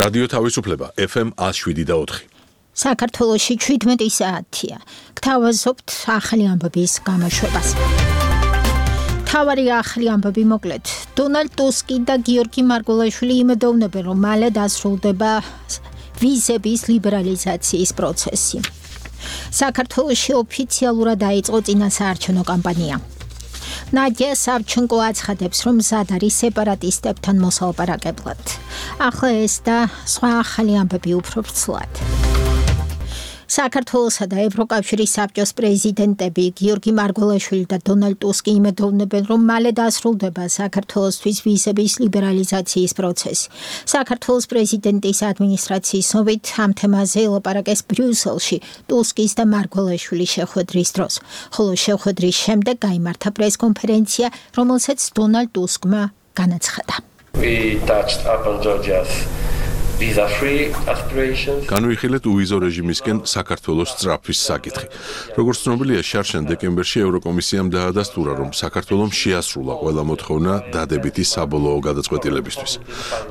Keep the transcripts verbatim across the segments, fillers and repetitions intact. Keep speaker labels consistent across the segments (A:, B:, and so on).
A: რადიო თავისუფლება ეფ ემ one oh seven და four.
B: საქართველოში შვიდმეტი საათია. გთავაზობთ ახალი ამბების გამოშვებას. თავარი ახალი ამბები მოკლედ. დონალდ ტუსკი და გიორგი მარგველაშვილი იმედოვნებენ, რომ მალე დასრულდება ვიზების ლიბერალიზაციის პროცესი. საქართველოში ოფიციალურად დაიწყო წინასაარჩევნო კამპანია. ნადია სავჩენკო აცხადებს, რომ მზად არის სეპარატისტებთან მოსალაპარაკებლად. ახლა ეს და სხვა ახალი ამბები უფრო ვრცლად. საქართველოსა და ევროკავშირის საბჭოს პრეზიდენტები გიორგი მარგველაშვილი და დონალდ ტუსკი იმედოვნებენ, რომ მალე დასრულდება საქართველოსთვის ვიზების ლიბერალიზაციის პროცესი. საქართველოს პრეზიდენტის ადმინისტრაციის ცნობით ამ თემაზე ელაპარაკეს ბრიუსელში ტუსკის და მარგველაშვილის შეხვედრის დროს, ხოლო შეხვედრის შემდეგ გაიმართა პრესკონფერენცია, რომელსაც დონალდ ტუსკმა განაცხადა.
C: We touched upon Georgia's
A: განვიხილეთ უვიზო რეჟიმისკენ საქართველოს სწრაფვის საკითხი. როგორც ცნობილია, შარშან დეკემბერში ევროკომისიამ დაადასტურა, რომ საქართველომ შეასრულა ყველა მოთხოვნა დადებითი საბოლოო გადაწყვეტილებისთვის,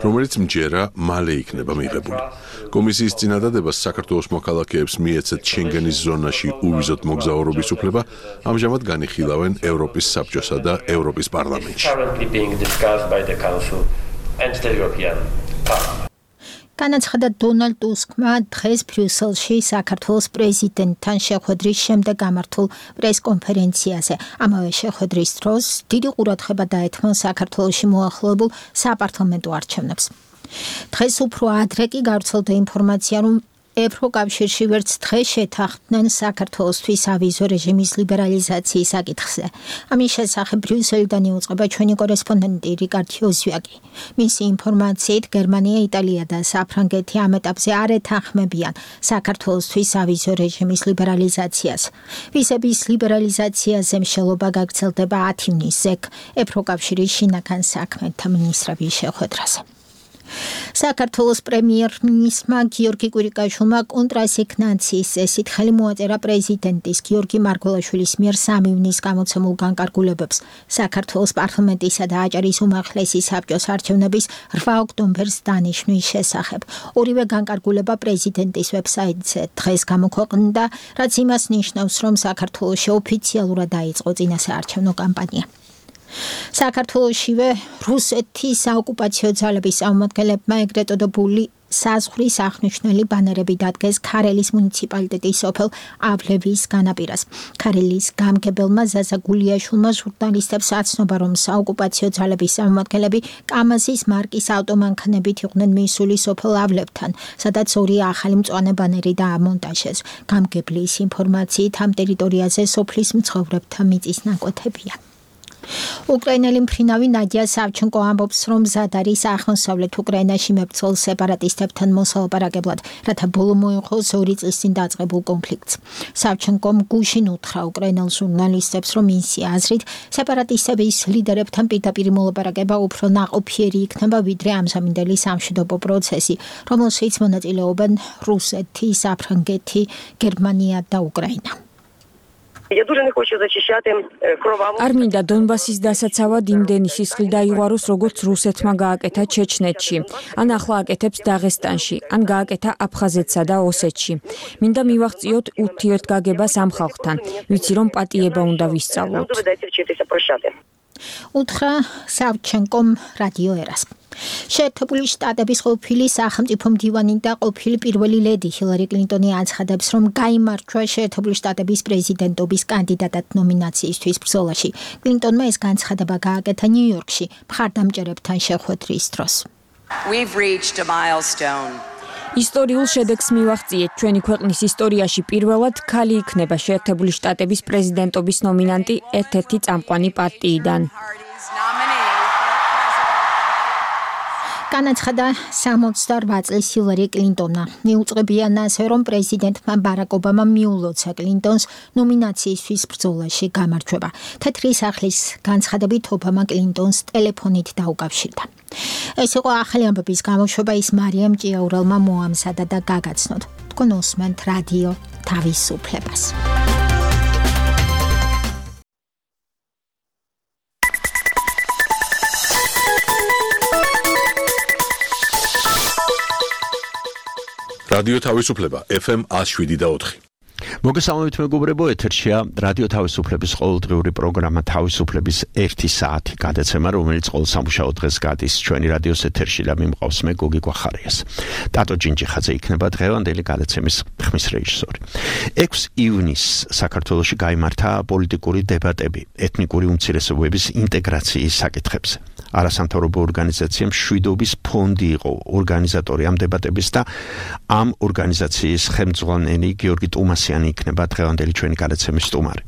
A: რომელიც მჯერა მალე იქნება მიღებული. კომისიის წინადადებას საქართველოს მოქალაქეებს მიეცეთ შენგენის ზონაში უვიზოდ მოგზაურობის უფლება, ამჟამად განიხილავენ ევროპის საბჭოსა და ევროპის პარლამენტში.
B: განაცხადა დონალდ ტუსკმა დღეს ბრიუსელში საქართველოს პრეზიდენტთან შეხვედრის შემდეგ გამართულ პრესკონფერენციაზე. ამავე შეხვედრის დროს დიდი ყურადღება დაეთმო საქართველოში მოახლოებულ საპარლამენტო არჩევნებს. დღეს უფრო ადრე კი გავრცელდა ინფორმაცია, რომ ევროკავშირში ვერც დღეს შეთანხმდნენ საქართველოსთვის ავიზო რეჟიმის ლიბერალიზაციის საკითხზე. ამის შესახებ ბრიუსელიდან იუწყება ჩვენი კორესპონდენტი რიკარდ ოზვიაკი. მისი ინფორმაციით, გერმანია, იტალია და საფრანგეთი ამ ეტაპზე არ ეთანხმებიან საქართველოსთვის ავიზო რეჟიმის ლიბერალიზაციას. ვიზების ლიბერალიზაციაზე მსჯელობა გაგრძელდება ათი ივნისზე ევროკავშირის შინაგან საქმეთა მინისტრების შეხვედრაზე. საქართველოს პრემიერ-მინისტრმა გიორგი კვირიკაშვილმა კონტრასიგნაციის წესით ხელი მოაწერა პრეზიდენტის გიორგი მარგველაშვილის მიერ სამი ივნისს გამოცემულ განკარგულებებს საქართველოს პარლამენტისა და აჭარის უმაღლესი საბჭოს არჩევნების რვა ოქტომბერს დანიშვნის შესახებ. ორივე განკარგულება პრეზიდენტის ვებსაიტზე დღეს გამოქვეყნდა, რაც იმას ნიშნავს, რომ საქართველოში ოფიციალურად დაიწყო წინასაარჩევნო კამპანია. საქართველოშივე რუსეთის საოკუპაციო ძალების წარმომადგენლებმა ეგრეთ წოდებული საზღვრის აღნიშნული ბანერები დადგეს ქარელის მუნიციპალიტეტის სოფელ ავლევის განაპირას. ქარელის გამგებელმა ზაზა გულიაშვილმა ჟურნალისტებს აცნობა, რომ საოკუპაციო ძალების წარმომადგენლები კამაზის მარკის ავტომანქანებით იყვნენ მისული სოფელ ავლევთან, სადაც ორი ახალი მწვანე ბანერი დაამონტაჟეს. გამგებლის ინფორმაციით ამ ტერიტორიაზე სოფლის მცხოვრებთა მიწის ნაკვეთებია. უკრაინელი მფრინავი ნადია სავჩენკო ამბობს, რომ მზად არის აღმოსავლეთ უკრაინაში მებრძოლ სეპარატისტებთან მოსალაპარაკებლად, რათა ბოლო მოეღოს ორი წლის წინ დაწყებულ კონფლიქტს. სავჩენკომ გუშინ უთხრა უკრაინელ ჟურნალისტებს, რომ მისი აზრით სეპარატისტების ლიდერებთან პირდაპირ მოლაპარაკება უფრო ნაყოფიერი იქნება, ვიდრე ამჟამინდელი სამშვიდობო პროცესი, რომელშიც მონაწილეობენ რუსეთი, საფრანგეთი, გერმანია და უკრაინა.
D: არ მინდა დონბასის დასაცავად იმდენი სისხლი დაიღვაროს, როგორც რუსეთმა გააკეთა ჩეჩნეთში, ან ახლა აკეთებს დაღესტანში, ან გააკეთა აფხაზეთსა და ოსეთში. მინდა მივაღწიოთ ურთიერთგაგებას ამ ხალხთან, ვიცი რომ პატიება უნდა ვისწავლოთ.
B: უთხრა სავჩენკომ რადიო ერას. შეერთებული შტატების ყოფილი სახელმწიფო მდივანი და ყოფილი პირველი ლედი ჰილარი კლინტონი აცხადებს, რომ გაიმარჯვა შეერთებული შტატების პრეზიდენტობის კანდიდატად ნომინაციისთვის ბრძოლაში. კლინტონმა ეს განცხადება გააკეთა ნიუ-იორკში მხარდამჭერებთან შეხვედრის დროს.
E: We've reached a milestone.
D: ისტორიულ შედეგს მივაღწიეთ. ჩვენი ქვეყნის ისტორიაში პირველად ქალი იქნება შეერთებული შტატების პრეზიდენტობის ნომინანტი ერთ-ერთი წამყვანი პარტიიდან.
B: განაცხადა სამოცდაორ წლის ჰილარი კლინტონმა. მიუწყებიან ასე, რომ პრეზიდენტმა ბარაკ ობამამ მიულოცა კლინტონს ნომინაციისთვის ბრძოლაში გამარჯვება. თეთრი სახლის განცხადებით ობამა კლინტონს ტელეფონით დაუკავშირდა. ეს იყო ახალი ამბების გამოშვება, ის მარიამ ჭიაურელმა მოამზადა და გაგაცნოთ. თქვენ უსმენთ რადიო თავისუფლებას.
A: რადიო თავისუფლება ეფ ემ one oh seven და four.
F: მოგესალმებით მეგობრებო, ეთერშია რადიო თავისუფლების ყოველდღიური პროგრამა თავისუფლების ერთი საათი გადაცემა, რომელიც ყოველ სამუშაო დღეს გადის ჩვენი რადიოს ეთერში და მიმყავს მე გოგი გვახარიას. ტატო ჯინჯიხაძე იქნება დღევანდელი გადაცემის ხმის რეჟისორი. ექვსი ივნისს საქართველოში გაიმართა პოლიტიკური დებატები ეთნიკური უმცირესობების ინტეგრაციის საკითხებზე. არასამთავრობო ორგანიზაციამ შვიდობის ფონდი იყო ორგანიზატორი ამ დებატების და ამ ორგანიზაციის ხელმძღვანელი გიორგი ტუმასიანი იქნება დღევანდელი ჩვენი გადაცემის სტუმარი.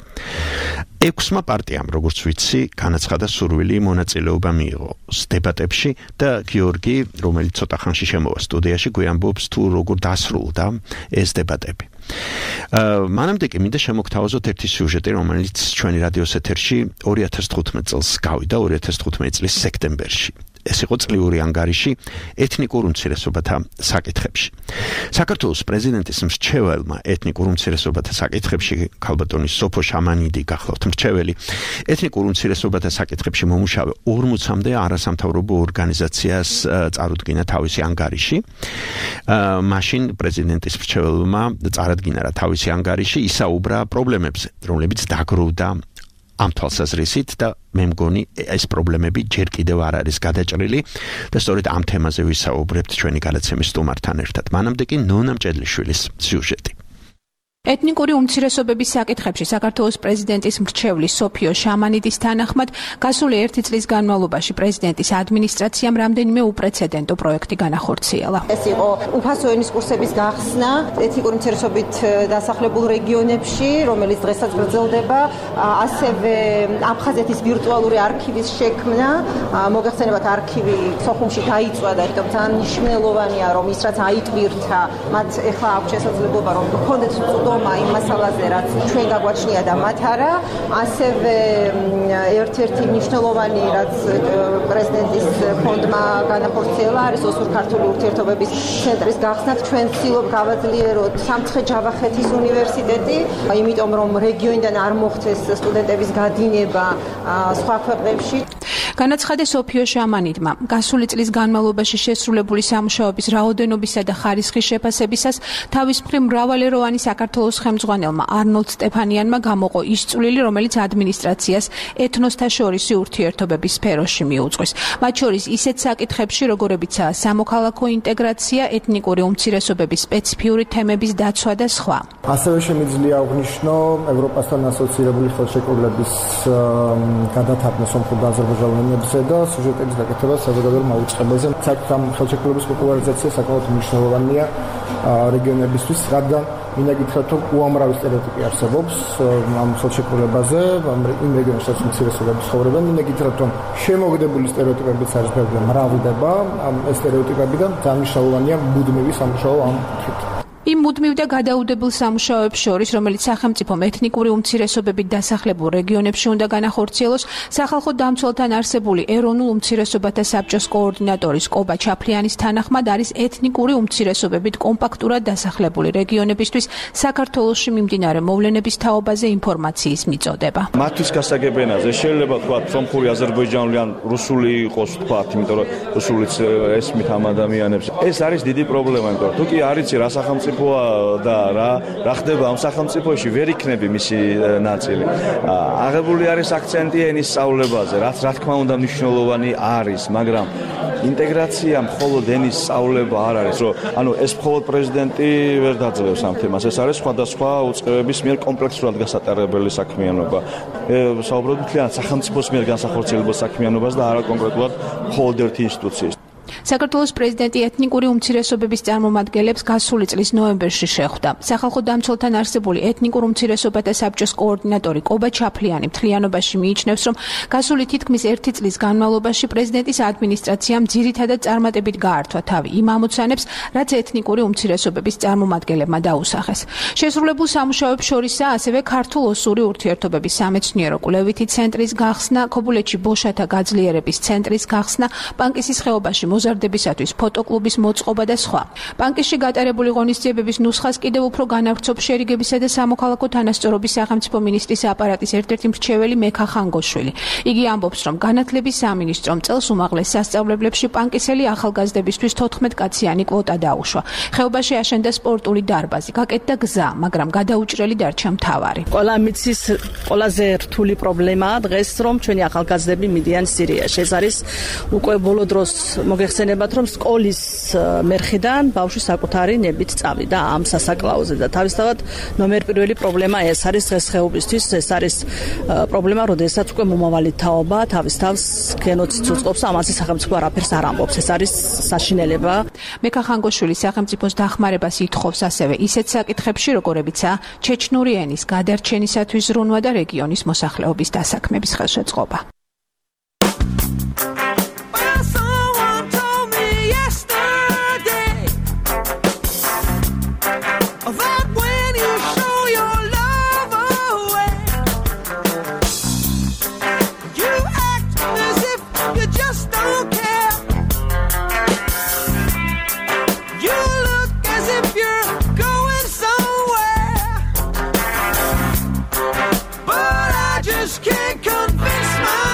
F: ექვსმა პარტიამ, როგორც ვიცი, განაცხადა სურვილი მონაწილეობა მიიღო დებატებში და გიორგი, რომელიც ცოტა ხანში შემოვა სტუდიაში, გვიამბობს თუ როგორ დასრულდა ეს დებატები. მანამდე კი მინდა შემოგთავაზოთ ერთი სიუჟეტი, რომელიც ჩვენი რადიოს ეთერში ორი ათას თხუთმეტ წელს გავიდა, ორი ათას თხუთმეტი წლის სექტემბერში. ეს იყო წლიური ანგარიში ეთნიკურ უმცირესობათა საკითხებში. საქართველოს პრეზიდენტის მრჩეველმა ეთნიკურ უმცირესობათა საკითხებში ქალბატონი სოფო შამანიდი გახლავთ მრჩეველი. ეთნიკურ უმცირესობათა საკითხებში მომუშავე ორმოცამდე არასამთავრობო ორგანიზაციას წარუდგინა თავისი ანგარიში. მაშინ პრეზიდენტის მრჩეველმა წარადგინა რა თავისი ანგარიში, ისაუბრა პრობლემებზე, რომლებიც დაგროვდა ამ თვალსაზრისით და მე მგონი ეს პრობლემები ჯერ კიდევ არ არის გადაჭრილი და სწორედ ამ თემაზე ვისაუბრებთ ჩვენი გადაცემის სტუმართან ერთად. მანამდე კი ნონა მჭედლიშვილის სიუჟეტი.
G: ეთნიკური უმცირესობების საკითხებში საქართველოს პრეზიდენტის მრჩევლის სოფიო შამანიდის თანახმად გასული ერთი წლის განმავლობაში პრეზიდენტის ადმინისტრაციამ რამდენიმე უპრეცედენტო პროექტი განახორციელა.
H: ეს იყო უფასო ენის კურსების გახსნა ეთნიკური უმცირესობით დასახლებულ რეგიონებში, რომელიც დღესაც გრძელდება, ასევე აფხაზეთის ვირტუალური არქივის შექმნა. მოგეხსენებათ, არქივი სოხუმში დაიწვა და იქნებ ძალიან მნიშვნელოვანია, რომ ის რაც აიტვირთა, მათ ეხლა აქვს შესაძლებლობა რომ გქონდეთ იმ მასალაზე, რაც ჩვენ გაგვაჩნია და მათ არა. ასევე ერთ-ერთი მნიშვნელოვანი, რაც პრეზიდენტის ფონდმა განახორციელა, არის ოსურ-ქართული ურთიერთობების ცენტრის გახსნა. ჩვენ ვცდილობ გავაძლიეროთ სამცხე-ჯავახეთის უნივერსიტეტი, იმიტომ რომ რეგიონიდან არ მოხდეს სტუდენტების გადინება სხვა ქვეყნებში.
G: განაცხადა სოფიო შამანიდმა, გასული წლის განმავლობაში შესრულებული სამუშაოების რაოდენობისა და ხარისხის შეფასებისას თავის მხრივ მრავალეროვანი საქართველოს ხელმძღვანელმა არნოლდ სტეფანიანმა გამოყო ის წვლილი, რომელიც ადმინისტრაციას ეთნოსთა შორისი ურთიერთობების სფეროში მიუძღვის. მათ შორის ისეთ საკითხებში, როგორებიცაა სამოქალაქო ინტეგრაცია, ეთნიკური უმცირესობების სპეციფიური თემების დაცვა და სხვა.
I: ასევე შემიძლია აღნიშნო ევროპასთან ასოცირებული ხელშეკრულების გადათარგმნა სომხურ და აზერბაიჯანულ ენებზე და სიუჟეტების გაკეთება საზოგადოებრივ მაუწყებელზე. საერთოდ ამ ხელშეკრულების პოპულარიზაცია საკმაოდ მნიშვნელოვანია რეგიონებისთვის, რადგან მინდა გითხრათ, რომ უამრავი სტერეოტიპი არსებობს ამ ხელშეკრულებაზე, იმ რეგიონებსაც უმცირესობები ცხოვრობენ. მინდა გითხრათ, რომ შემოგდებული სტერეოტიპებიც არის ბევრი, მრავლდება ამ სტერეოტიპებიდან, ძალიან მნიშვნელოვანია მუდმივი სამუშაო ამ კუთხით.
G: იმ მუდმივ და გადაუდებელ სამუშაოებს შორის, რომელიც სახელმწიფომ ეთნიკური უმცირესობებით დასახლებულ რეგიონებში უნდა განახორციელოს, სახალხო დამცველთან არსებული ეროვნულ უმცირესობათა საბჭოს კოორდინატორის კობა ჩაფლიანის თანახმად არის ეთნიკური უმცირესობებით კომპაქტურად დასახლებული რეგიონებისთვის საქართველოში მიმდინარე მოვლენების თაობაზე ინფორმაციის მიწოდება.
J: მათთვის გასაგებენაზე შეიძლება თქვათ სომხური, აზერბაიჯანული ან რუსული იყოს თქვათ, იმიტომ რომ რუსულიც ესმით ამ ადამიანებს. ეს არის დიდი პრობლემა, იმიტომ რომ თუ კი არ იცი რა სახელმწიფო და რა რა ხდება ამ სახელმწიფოში, ვერ იქნები მისი ნაწილი. აღებული არის აქცენტი ენის სწავლებაზე, რაც რა თქმა უნდა მნიშვნელოვანი არის, მაგრამ ინტეგრაცია მხოლოდ ენის სწავლება არ არის, რომ ანუ ეს მხოლოდ პრეზიდენტი ვერ დაძლევს ამ თემას. ეს არის სხვადასხვა უწყებების მიერ კომპლექსურად გასატარებელი საქმიანობა. საუბრობთ მთლიანად სახელმწიფოს მიერ განსახორციელებელ საქმიანობას და არა კონკრეტულად მხოლოდ ერთი ინსტიტუციის.
G: საქართველოს პრეზიდენტი ეთნიკური უმცირესობების წარმომადგენლებს გასული წლის ნოემბერში შეხვდა. სახალხო დამცველთან არსებული ეთნიკურ უმცირესობათა საბჭოს კოორდინატორი კობა ჩაფლიანი მთლიანობაში მიიჩნევს, რომ გასული თითქმის ერთი წლის განმავლობაში პრეზიდენტის ადმინისტრაციამ ძირითადად წარმატებით გაართვა თავი იმ ამოცანებს, რაც ეთნიკური უმცირესობების წარმომადგენლებმა დაუსახეს. შესრულებულ სამუშაოებს შორისაა ასევე ქართულ-ოსური ურთიერთობების სამეცნიერო კვლევითი ცენტრის გახსნა, ქობულეთში ბოშათა გაძლიერების ცენტრის გახსნა, პანკისის ხეობაში აღზრდებისათვის ფოტოკლუბის მოწყობა და სხვა. ბანკში გატარებული ღონისძიებების ნუსხას კიდევ უფრო განავრცობს შერიგებისა და სამოქალაქო თანასწორობის სახელმწიფო მინისტრის აპარატის ერთ-ერთი მრჩეველი მექა ხანგოშვილი. იგი ამბობს, რომ განათლების სამინისტრომ წელს უმაღლეს სასწავლებლებში პანკისელი ახალგაზრდებისთვის თოთხმეტ კაციანი კვოტა დაუშვა. ხეობაში აშენდა სპორტული დარბაზი, გაკეთდა გზა, მაგრამ გადაუჭრელი დარჩა მთავარი.
K: ყველა მიცის ყველაზე რთული პრობლემაა დღეს, რომ ჩვენი ახალგაზრდები მიდიან სირიაში. ეს არის უკვე ბოლო დროს მოგეხსენებათ, რომ სკოლის მერხიდან ბავშვი საკუთარი ნებით წავიდა ამ სასაკლაოზე და თავისთავად ნომერ პირველი პრობლემა ეს არის დღესდღეობისთვის, ეს არის პრობლემა, როდესაც უკვე მომავალი თაობა თავის თავს გენოციდს უწყობს, ამაზე სახელმწიფო არაფერს არ ამბობს. ეს არის საშინელება.
G: მექა ხანგოშვილი სახელმწიფოს დახმარებას ითხოვს ასევე ისეთ საკითხებში, როგორებიცაა ჩეჩნური ენის გადარჩენისათვის ზრუნვა და რეგიონის მოსახლეობის დასაქმების ხელშეწყობა.
L: Can't convince my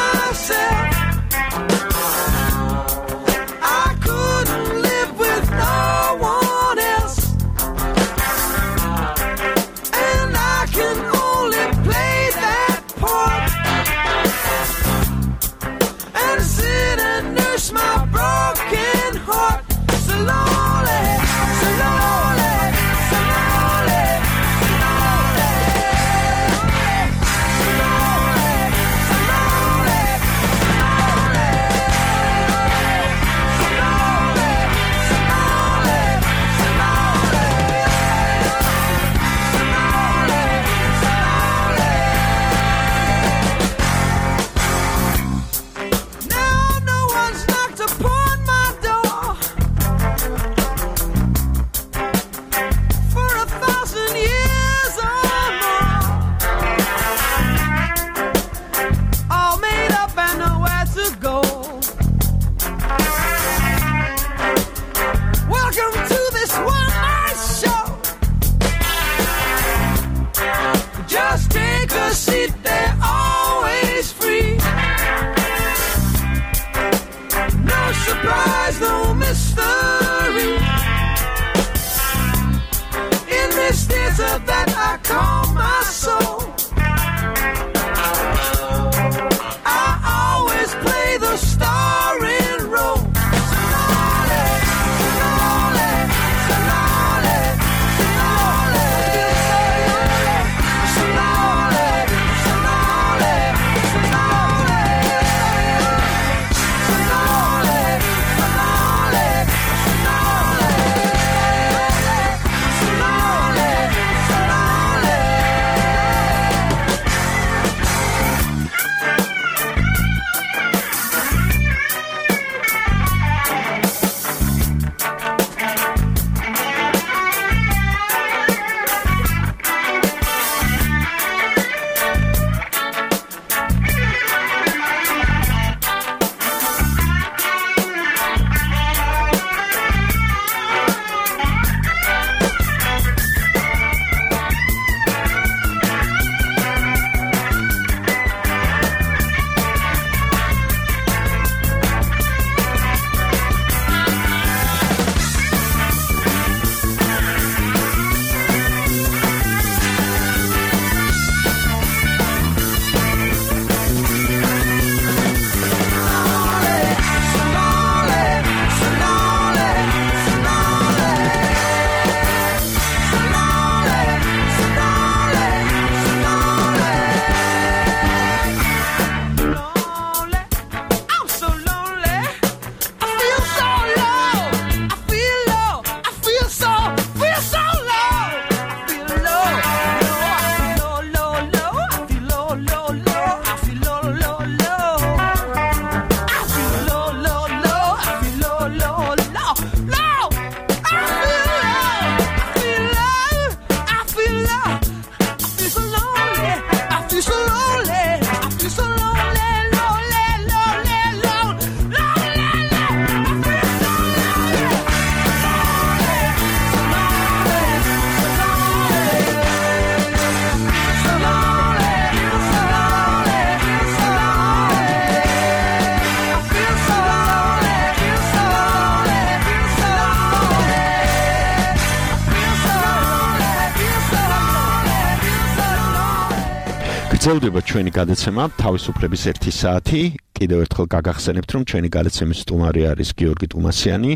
F: გრძელდება ჩვენი გადაცემა თავისუფლების ერთი საათი. კიდევ ერთხელ გაგახსენებთ, რომ ჩვენი გადაცემის სტუმარი არის გიორგი ტუმასიანი,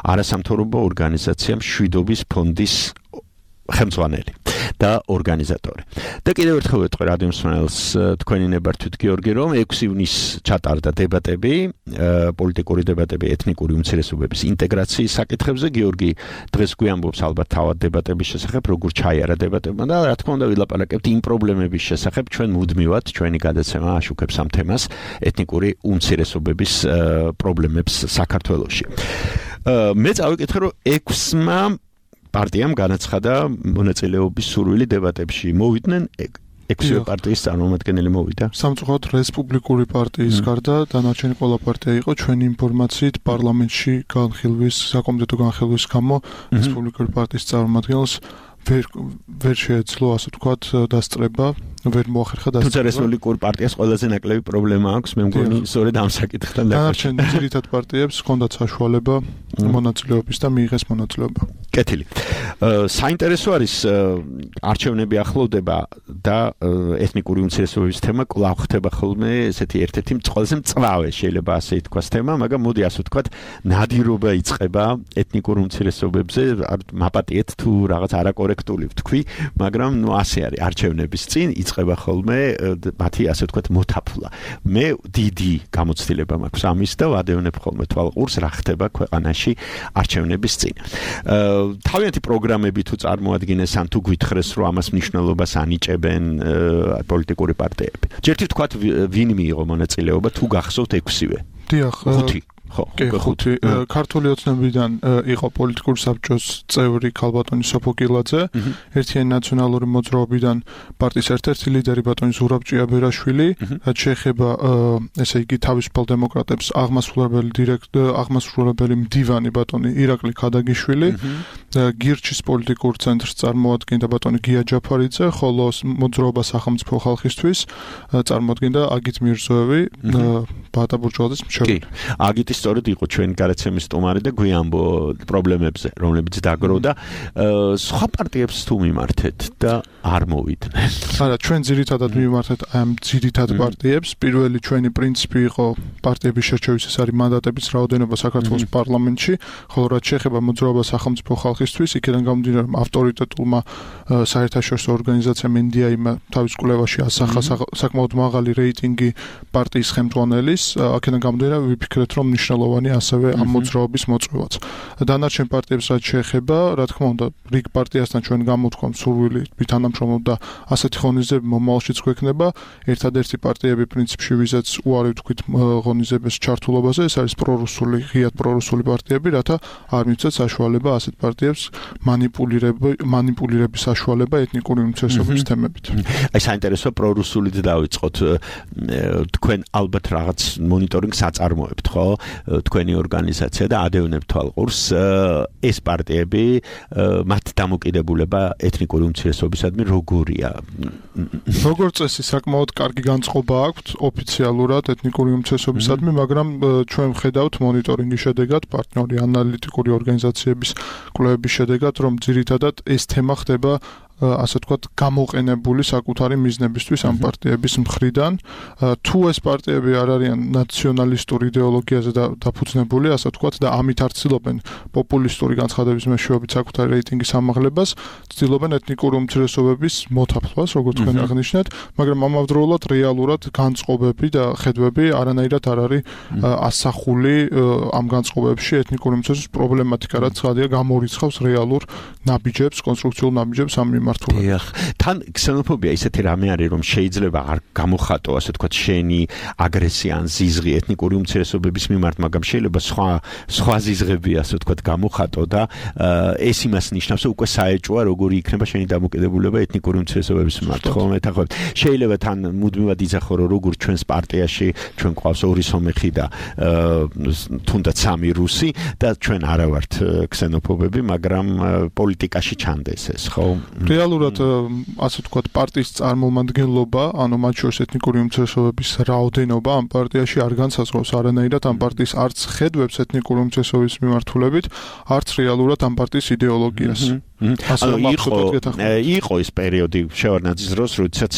F: არასამთავრობო ორგანიზაცია მშვიდობის ფონდის ხელმძღვანელი და ორგანიზატორი. და კიდევ ერთხელ ვეთქვი რადიო მსმენელს, თქვენი ნებართვით გიორგი, რომ ექვსი ივნისს ჩატარდა დებატები, პოლიტიკური დებატები ეთნიკური უმცირესობების ინტეგრაციის საკითხებზე. გიორგი დღეს გვიამბობს ალბათ თავად დებატების შესახებ, როგორ ჩაიარა დებატებმა და რა თქმა უნდა ვილაპარაკებთ იმ პრობლემების შესახებ, ჩვენ მუდმივად ჩვენი გადაცემა აშუქებს ამ თემას, ეთნიკური უმცირესობების პრობლემებს საქართველოში. მე წავიკითხე, რომ ექვსმა პარტიამ განაცხადა მონაწილეობის სურვილი დებატებში. მოვიდნენ ექვსი პარტიის წარმომადგენელი მოვიდა.
L: სამწუხაროდ რესპუბლიკური პარტიის გარდა დანარჩენი ყველა პარტია იყო ჩვენი ინფორმაციით პარლამენტში განხილვის, საკომიტეტო განხილვის გამო რესპუბლიკური პარტიის წარმომადგენელს ვერ ვერ შეეძლო ასე ვთქვათ დასწრება, ვერ მოახერხა დასწრება.
F: თუმცა რესპუბლიკურ პარტიას ყველაზე ნაკლები პრობლემა აქვს, მე მგონი სწორედ ამ საკითხთან
L: დაკავშირებით. დანარჩენ ძირითად პარტიებს ჰქონდათ საშუალება მონაწილეობის და მიიღეს მონაწილეობა.
F: კეთილი. საინტერესო არის არჩევნები ახლოვდება და ეთნიკური უმცირესობების თემა კვლავ ხდება ხოლმე ესეთი ერთ-ერთი ყველაზე მწვავე შეიძლება ასე ითქვას თემა, მაგრამ მოდი ასე ვთქვათ, ნადირობა იწყება ეთნიკურ უმცირესობებზე, მაპატიეთ თუ რაღაც არაკორექტული ვთქვი, მაგრამ ნუ ასე არის არჩევნების წინ იწყება ხოლმე მათი ასე ვთქვათ მოთაფლა. მე დიდი გამოცდილება მაქვს ამის და ვადევნებ ხოლმე თვალყურს რა ხდება ქვეყანაში არჩევნების წინ. თავიანთი პროგრამები თუ წარმოადგენენ ან თუ გვითხრეს რომ ამას მნიშვნელობას ანიჭებენ პოლიტიკური პარტიები. ჯერთი ვთქვათ ვინ მიიღო მონაწილეობა თუ გახსოვთ ექვსივე?
L: დიახ,
F: ხუთი.
L: კი, ხუთი. ქართული ოცნებიდან იყო პოლიტიკური საბჭოს წევრი ქალბატონი სოფო კილაძე, ერთიანი ნაციონალური მოძრაობიდან პარტიის ერთ-ერთი ლიდერი ბატონი ზურაბ ჭიაბერაშვილი, რაც შეეხება ესე იგი თავისუფალ დემოკრატებს აღმასრულებელი დირექტორი, აღმასრულებელი მდივანი ბატონი ირაკლი ქადაგიშვილი, გირჩის პოლიტიკურ ცენტრს წარმოადგენდა ბატონი გია ჯაფარიძე, ხოლო მოძრაობა სახელმწიფო ხალხისთვის წარმოადგენდა აგით მირზოევი, ბატა ბურჯვალაძის მშობელი.
F: აგიტი სწორედ იყო ჩვენი გადაცემის სტუმარი და გვიამბო პრობლემებზე, რომლებიც დაგროვდა. სხვა პარტიებს თუ მიმართეთ და არ მოვიდნენ.
L: არა, ჩვენ ძირითადად მიმართეთ ამ ძირითად პარტიებს. პირველი ჩვენი პრინციპი იყო პარტიების შერჩევის, ეს არის მანდატების რაოდენობა საქართველოს პარლამენტში, ხოლო რაც შეეხება მოძრაობა სახელმწიფო ხალხისთვის, იქიდან გამომდინარე, რომ ავტორიტეტულმა საერთაშორისო ორგანიზაციამ ენ დი აი-მა თავის კვლევაში ასახა საკმაოდ მაღალი რეიტინგი პარტიის ხელმძღვანელის, აქედან გამომდინარე, ვიფიქრეთ, რომ მნიშვნელოვანი ასევე ამ მოძრაობის მოწვევაც. დანარჩენ პარტიებს რაც შეეხება, რა თქმა უნდა, რიგ პარტიასთან ჩვენ გამოვთქვამ სურვილი ვითანამშრომლობ და ასეთი ღონისძიებები მომავალშიც გვექნება. ერთადერთი პარტიები პრინციპში ვიზაც უარი ვთქვით ღონისძიების ჩართულობაზე, ეს არის პრორუსული, ღიად პრორუსული პარტიები, რათა არ მიცეთ საშუალება ასეთ პარტიებს მანიპულირების საშუალება ეთნიკური უმცირესობების თემებით.
F: აი საინტერესო პრორუსულით დავიწყოთ. თქვენ ალბათ რაღაც მონიტორინგს აწარმოებთ, ხო? თქვენი ორგანიზაცია და ადევნებთ თვალყურს ეს პარტიები მათ დამოკიდებულება ეთნიკური უმცირესობისადმი როგორია?
L: როგორც წესი საკმაოდ კარგი განწყობა აქვთ ოფიციალურად ეთნიკური უმცირესობისადმი, მაგრამ ჩვენ ვხედავთ მონიტორინგის შედეგად, პარტნიორი ანალიტიკური ორგანიზაციების კვლევების შედეგად, რომ ძირითადად ეს თემა ხდება ასე ვთქვათ, გამოყენებული საკუთარი მიზნებისთვის ამ პარტიების მხრიდან. თუ ეს პარტიები არ არიან ნაციონალისტური იდეოლოგიაზე დაფუძნებული, ასე ვთქვათ, და ამით არ ცდილობენ პოპულისტური განცხადების მეშვეობით საკუთარი რეიტინგის ამაღლებას, ცდილობენ ეთნიკური უმცირესობების მოთაფლვას, როგორც თქვენ აღნიშნეთ, მაგრამ ამავდროულად რეალურად განწყობები და ხედვები არანაირად არ არის ასახული ამ განწყობებში ეთნიკური უმცირესობის პრობლემატიკა, რაც ხადია გამორიცხავს რეალურ ნაბიჯებს, კონსტრუქციულ ნაბიჯებს ამ მიმართულებით.
F: დიახ, თან ქსენოფობია ისეთი რამე არის, რომ შეიძლება არ გამოხატო, ასე ვთქვათ, შენი აგრესია ან ზიზღი ეთნიკური უმცირესობების მიმართ, მაგრამ შეიძლება სხვა სხვა ზიზღები, ასე ვთქვათ, გამოხატო და ეს იმას ნიშნავს, რომ უკვე საეჭვია, როგორი იქნება შენი დამოკიდებულება ეთნიკური უმცირესობების მიმართ, ხო? მეთანხმებით. შეიძლება თან მუდმივად იზახო, რომ როგორ ჩვენს პარტიაში ჩვენ ყავს ორი სომეხი და თუნდაც სამი რუსი და ჩვენ არა ვართ ქსენოფობები, მაგრამ პოლიტიკაში ჩანდეს ეს, ხო?
L: რეალურად ასე ვთქვათ პარტიის წარმომადგენლობა, ანუ მათ შორის ეთნიკური უმცირესობების რაოდენობა ამ პარტიაში არ განსაზღვრავს არანაირად ამ პარტიის არც ხედვებს ეთნიკური უმცირესობების მიმართულებით, არც რეალურად ამ პარტიის იდეოლოგიას. ასე
F: იყო იყო ეს პერიოდი შევარდნაძის დროს, როდესაც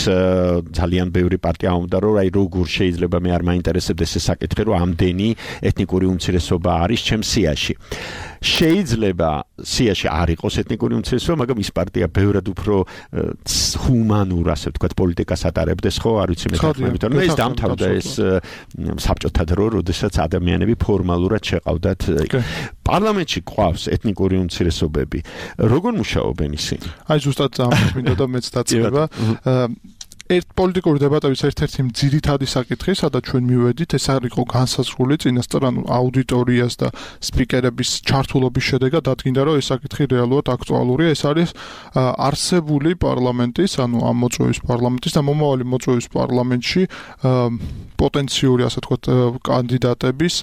F: ძალიან ბევრი პარტია უნდა რომ აი როგორ შეიძლება მე არ მაინტერესებდეს ეს საკითხი, რომ ამდენი ეთნიკური უმცირესობა არის ჩემს სიაში. შეიძლება სიაში არ იყოს ეთნიკური უმცირესობა, მაგრამ ის პარტია ბევრად უფრო ჰუმანურ, ასე ვთქვათ, პოლიტიკას ატარებდეს, ხო, არ ვიცი მე თქმით, რომ ეს დამთავრდა ეს საბჭოთა დრო, როდესაც ადამიანები ფორმალურად შეყავდათ. პარლამენტში ყავს ეთნიკური უმცირესობები. როგორ მუშაობენ ისინი?
L: აი ზუსტად ამას მინდა და მეც დაწება. ერთ პოლიტიკური დებატების ერთ-ერთი ძირითადი საკითხი, სადაც ჩვენ მივედით, ეს არ იყო განსაზღვრული წინასწარ, ანუ აუდიტორიას და სპიკერების ჩართულობის შედეგად დადგინდა, რომ ეს საკითხი რეალურად აქტუალურია. ეს არის არსებული პარლამენტის, ანუ ამ მოწვევის პარლამენტის და მომავალი მოწვევის პარლამენტში პოტენციური, ასე ვთქვათ, კანდიდატების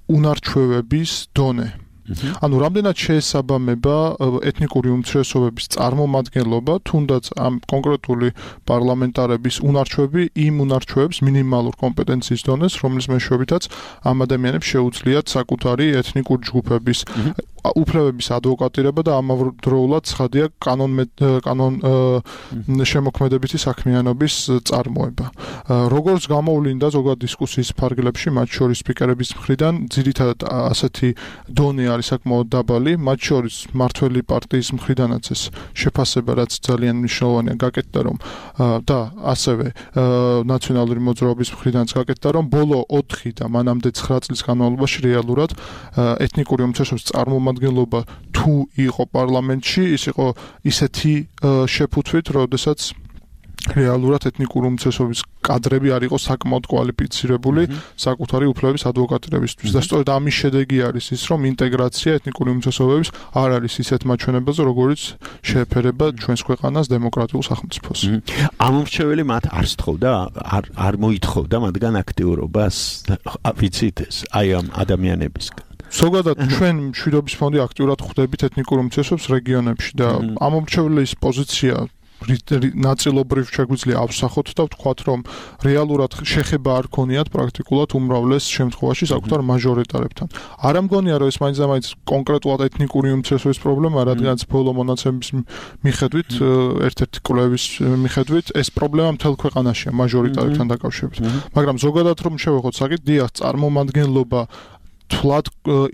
L: უნარჩვევების დონე. ანუ რამდენად შეესაბამება ეთნიკური უმცირესობების წარმომადგენლობა, თუნდაც ამ კონკრეტული პარლამენტარების უნარჩვევები იმ უნარჩვევებს მინიმალურ კომპეტენციის დონეს, რომლის მეშვეობითაც ამ ადამიანებს შეუძლიათ საკუთარი ეთნიკური ჯგუფების უფლებების ადვოკატირება და ამავდროულად ცხადია კანონ კანონ შემოქმედებითი საქმიანობის წარმოება. როგორც გამოვლინდა ზოგადად დისკუსიის ფარგლებში, მათ შორის სპიკერების მხრიდან ძირითადად ასეთი დონე არის საკმაოდ დაბალი, მათ შორის მართველი პარტიის მხრიდანაც ეს შეფასება, რაც ძალიან მნიშვნელოვანია, გაკეთდა რომ და ასევე ნაციონალური მოძრაობის მხრიდანაც გაკეთდა რომ ბოლო ოთხი და მანამდე ცხრა წლის განმავლობაში რეალურად ეთნიკური უმცირესობის წარმომადგენლობა თუ იყო პარლამენტში, ის იყო ისეთი შეფუთვით, როდესაც რეალურად ეთნიკური უმცირესობის კადრები არ იყო საკმაოდ კვალიფიცირებული საკუთარი უფლებების ადვოკატირებისთვის და სწორედ ამის შედეგი არის ის, რომ ინტეგრაცია ეთნიკური უმცირესობების არ არის ისეთ მაჩვენებაზე, როგორიც შეეფერება ჩვენს ქვეყანას დემოკრატიულ სახელმწიფოს.
F: ამომრჩეველი მათ არ სთხოვდა, არ არ მოითხოვდა მათგან აქტიურობას, ვიცით ეს, აი ამ ადამიანებისგან.
L: ზოგადად ჩვენ მშვიდობის ფონდი აქტიურად ხვდებით ეთნიკურ უმცირესობებს რეგიონებში და ამომრჩეველის პოზიცია ნაწილობრივ შეგვიძლია ავსახოთ და ვთქვათ, რომ რეალურად შეხება არ ქონიათ პრაქტიკულად უმრავლეს შემთხვევაში საკუთარ მაჟორიტარებთან. არ ამგონია, რომ ეს მაინც და მაინც კონკრეტულად ეთნიკური უმცირესობის პრობლემა, რადგანაც ბოლო მონაცემების მიხედვით, ერთ-ერთი კვლევის მიხედვით, ეს პრობლემა მთელ ქვეყანაშია მაჟორიტარებთან დაკავშირებით. მაგრამ ზოგადად რომ შევეხოთ საკითხი, დიახ, წარმომადგენლობა თვლად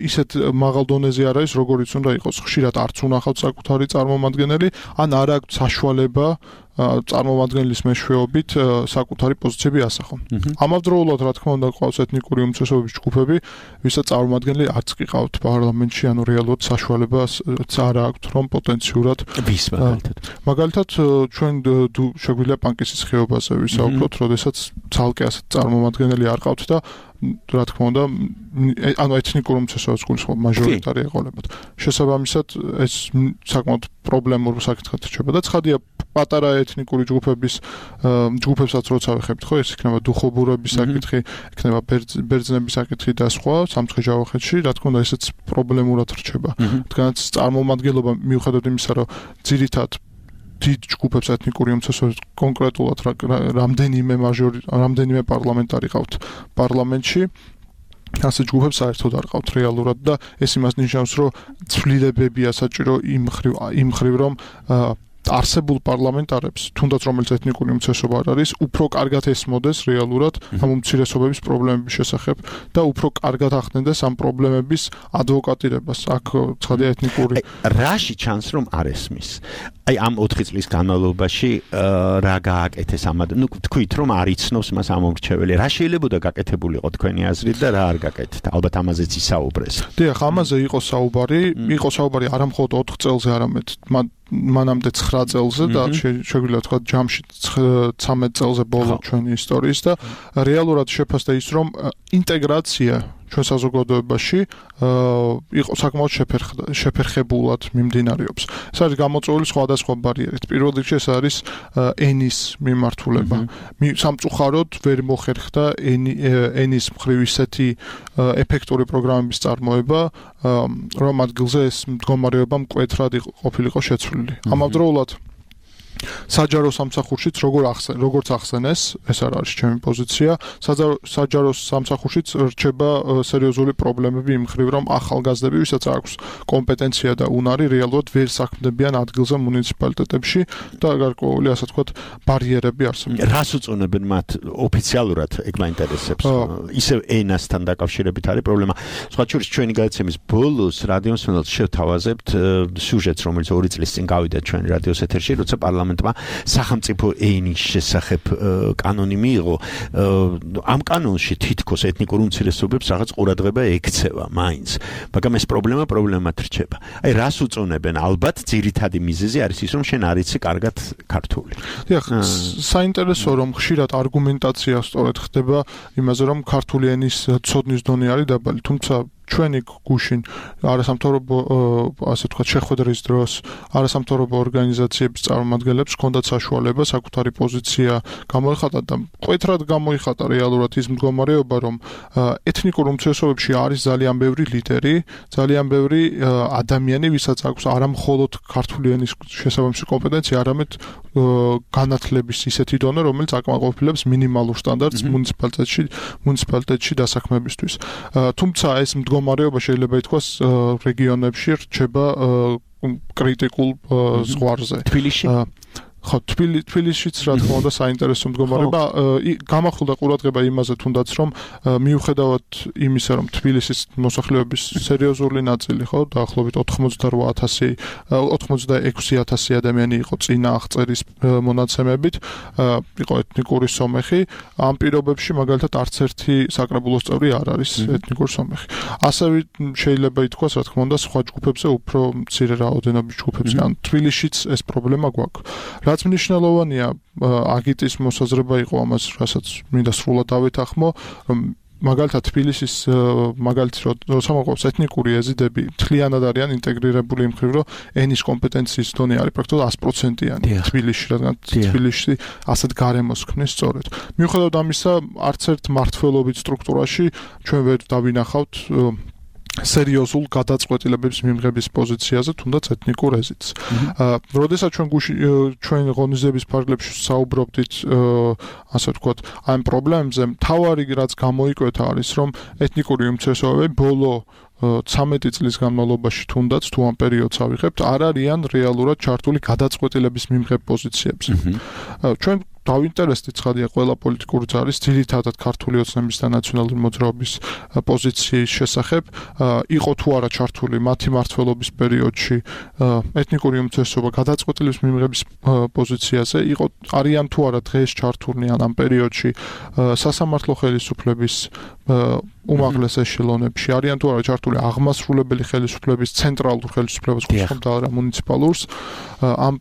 L: ისეთ მაღალ დონეზე არ არის, როგორიც უნდა იყოს. ხშირად არც უნახავთ საკუთარი წარმომადგენელი, ან არ აქვს საშუალება წარმომადგენლის მეშვეობით საკუთარი პოზიციები ასახონ. ამავდროულად, რა თქმა უნდა, ყავს ეთნიკური უმცირესობების ჯგუფები, ვისაც წარმომადგენელი არც კი ყავთ პარლამენტში, ანუ რეალურად საშუალებას არ აქვთ, რომ პოტენციურად
F: ვის მაგალითად.
L: მაგალითად, ჩვენ შეგვიძლია პანკისის ხეობაზე ვისაუბროთ, როდესაც ცალკე ასეთ წარმომადგენელი არ ყავთ და რა თქმა უნდა, ანუ ეთნიკურ უმცირესობებს გულისხმობ მაჟორიტარი ეყოლებათ. შესაბამისად, ეს საკმაოდ პრობლემურ საკითხად რჩება და ცხადია პატარა ეთნიკური ჯგუფების ჯგუფებსაც როცა ვეხებთ, ხო, ეს იქნება დუხობურების საკითხი, იქნება ბერძნების საკითხი და სხვა სამცხე-ჯავახეთში, რა თქმა უნდა, ესეც პრობლემურად რჩება. რადგანაც წარმომადგენლობა მიუხედავად იმისა, რომ ძირითად დიდ ჯგუფებს ეთნიკური უმცირესობებს კონკრეტულად რამდენიმე მაჟორი, რამდენიმე პარლამენტარი ყავთ პარლამენტში, ასე ჯგუფებს საერთოდ არ ყავთ რეალურად და ეს იმას ნიშნავს, რომ ცვლილებებია საჭირო იმ ხრივ იმ ხრივ რომ არსებულ პარლამენტარებს, თუნდაც რომელიც ეთნიკური უმცირესობა არ არის, უფრო კარგად ესმოდეს რეალურად ამ უმცირესობების პრობლემების შესახებ და უფრო კარგად ახდენდეს ამ პრობლემების ადვოკატირებას. აქ ცხადია ეთნიკური
F: რაში ჩანს რომ არ ესმის. აი ამ ოთხი წლის განმავლობაში რა გააკეთეს ამ ნუ თქვით რომ არ იცნობს მას ამომრჩეველი. რა შეიძლება გაკეთებულიყო თქვენი აზრით და რა არ გაკეთდა? ალბათ ამაზეც ისაუბრეს.
L: დიახ, ამაზე იყო საუბარი, იყო საუბარი არა მხოლოდ ოთხ წელზე, არამედ მანამდე ცხრა წელზე და შეგვიძლია თქვა ჯამში ცამეტ წელზე ბოლო ჩვენი ისტორიის და რეალურად შეფასდა ის რომ ინტეგრაცია ჩვენ საზოგადოებაში იყო საკმაოდ შეფერხებულად მიმდინარეობს. ეს არის გამოწვეული სხვადასხვა ბარიერით. პირველ რიგში ეს არის ენის მიმართულება. სამწუხაროდ ვერ მოხერხდა ენის მხრივ ისეთი ეფექტური პროგრამების წარმოება, რომ ადგილზე ეს მდგომარეობა მკვეთრად ყოფილიყო შეცვლილი. ამავდროულად საჯარო სამსახურშიც როგორ ახსენ როგორც ახსენეს, ეს არ არის ჩემი პოზიცია. საჯარო სამსახურშიც რჩება სერიოზული პრობლემები იმ ხრივ, რომ ახალგაზრდები, ვისაც აქვს კომპეტენცია და უნარი, რეალურად ვერ საქმდებიან ადგილზე მუნიციპალიტეტებში და გარკვეული, ასე ვთქვათ, ბარიერები არსებობს.
F: რას უწონებენ მათ ოფიციალურად, ეგ მაინტერესებს. ისევ ენასთან დაკავშირებით არის პრობლემა. სხვა შორის ჩვენი გადაცემის ბოლოს რადიო მსმენელს შევთავაზებთ სიუჟეტს, რომელიც ორი წლის წინ გავიდა ჩვენი რადიოს ეთერში, როცა პარლამენტმა სახელმწიფო ენის შესახებ კანონი მიიღო. ამ კანონში თითქოს ეთნიკურ უმცირესობებს რაღაც ყურადღება ექცევა მაინც. მაგრამ ეს პრობლემა პრობლემად რჩება. აი რას უწონებენ? ალბათ ძირითადი მიზეზი არის ის, რომ შენ არ იცი კარგად ქართული.
L: დიახ, საინტერესო რომ ხშირად არგუმენტაცია სწორედ ხდება იმაზე, რომ ქართული ენის ცოდნის დონე არის დაბალი, თუმცა ჩვენი გუშინ არასამთავრობო ასე ვთქვათ შეხვედრის დროს არასამთავრობო ორგანიზაციების წარმომადგენლებს ჰქონდათ საშუალება საკუთარი პოზიცია გამოიხატა და მკვეთრად გამოიხატა რეალურად ის მდგომარეობა, რომ ეთნიკურ უმცირესობებში არის ძალიან ბევრი ლიდერი, ძალიან ბევრი ადამიანი, ვისაც აქვს არა მხოლოდ ქართული ენის შესაბამისი კომპეტენცია, არამედ განათლების ისეთი დონე, რომელიც აკმაყოფილებს მინიმალურ სტანდარტს მუნიციპალიტეტში მუნიციპალიტეტში დასაქმებისთვის. თუმცა ეს მდგომარეობა შეიძლება ითქვას რეგიონებში რჩება კრიტიკულ ზღვარზე.
F: თბილისში?
L: ხო, თბილისშიც რა თქმა უნდა საინტერესო მდგომარეობა. გამახვილდა ყურადღება იმაზე თუნდაც, რომ მიუხედავად იმისა, რომ თბილისის მოსახლეობის სერიოზული ნაწილი, ხო, დაახლოებით ოთხმოცდაოთხ ათასი ოცდაექვსი ათასი ადამიანი იყო წინა აღწერის მონაცემებით, იყო ეთნიკური სომეხი, ამ პირობებში მაგალითად არც ერთი საკრებულოს წევრი არ არის ეთნიკური სომეხი. ასევე შეიძლება ითქვას, რა თქმა უნდა, სხვა ჯგუფებზე უფრო მცირე რაოდენობის ჯგუფებზე. ან თბილისშიც ეს პრობლემა გვაქვს. რაც მნიშვნელოვანია, აგიტის მოსაზრება იყო ამას, რასაც მინდა სრულად დავეთანხმო, რომ მაგალითად თბილისის მაგალითი როცა მოყავს ეთნიკური ეზიდები მთლიანად არიან ინტეგრირებული იმ ხრივ, რომ ენის კომპეტენციის დონე არის პრაქტიკულად sto პროცენტიანი თბილისში, რადგან თბილისში ასეთ გარემოს ქმნის სწორედ. მიუხედავად ამისა, არც ერთ მმართველობით სტრუქტურაში ჩვენ ვერ დავინახავთ სერიოზულ გადაწყვეტილებების მიღების პოზიციაზე, თუნდაც ეთნიკურ ეზიდს. როდესაც ჩვენ ჩვენ ღონისძიების ფარგლებში საუბრობდით, ასე ვთქვათ, ამ პრობლემებზე, მთავარი რაც გამოიკვეთა არის, რომ ეთნიკური უმცირესობები ბოლო ცამეტი წლის განმავლობაში თუნდაც თუ ამ პერიოდს ავიღებთ, არ არიან რეალურად ჩართული გადაწყვეტილების მიღებ პოზიციებზე. ჩვენ დავინტერესდით ცხადია ყველა პოლიტიკური ძალის ძირითადად ქართული ოცნების და ნაციონალური მოძრაობის პოზიციის შესახებ, იყო თუ არა ჩართული მათი მმართველობის პერიოდში ეთნიკური უმცირესობა გადაწყვეტილების მიღების პოზიციაზე, იყო არიან თუ არა დღეს ჩართულნი ამ პერიოდში სასამართლო ხელისუფლების უმაღლეს ეშელონებში, არიან თუ არა ჩართული აღმასრულებელი ხელისუფლების ცენტრალურ ხელისუფლებას, ხომ და მუნიციპალურს, ამ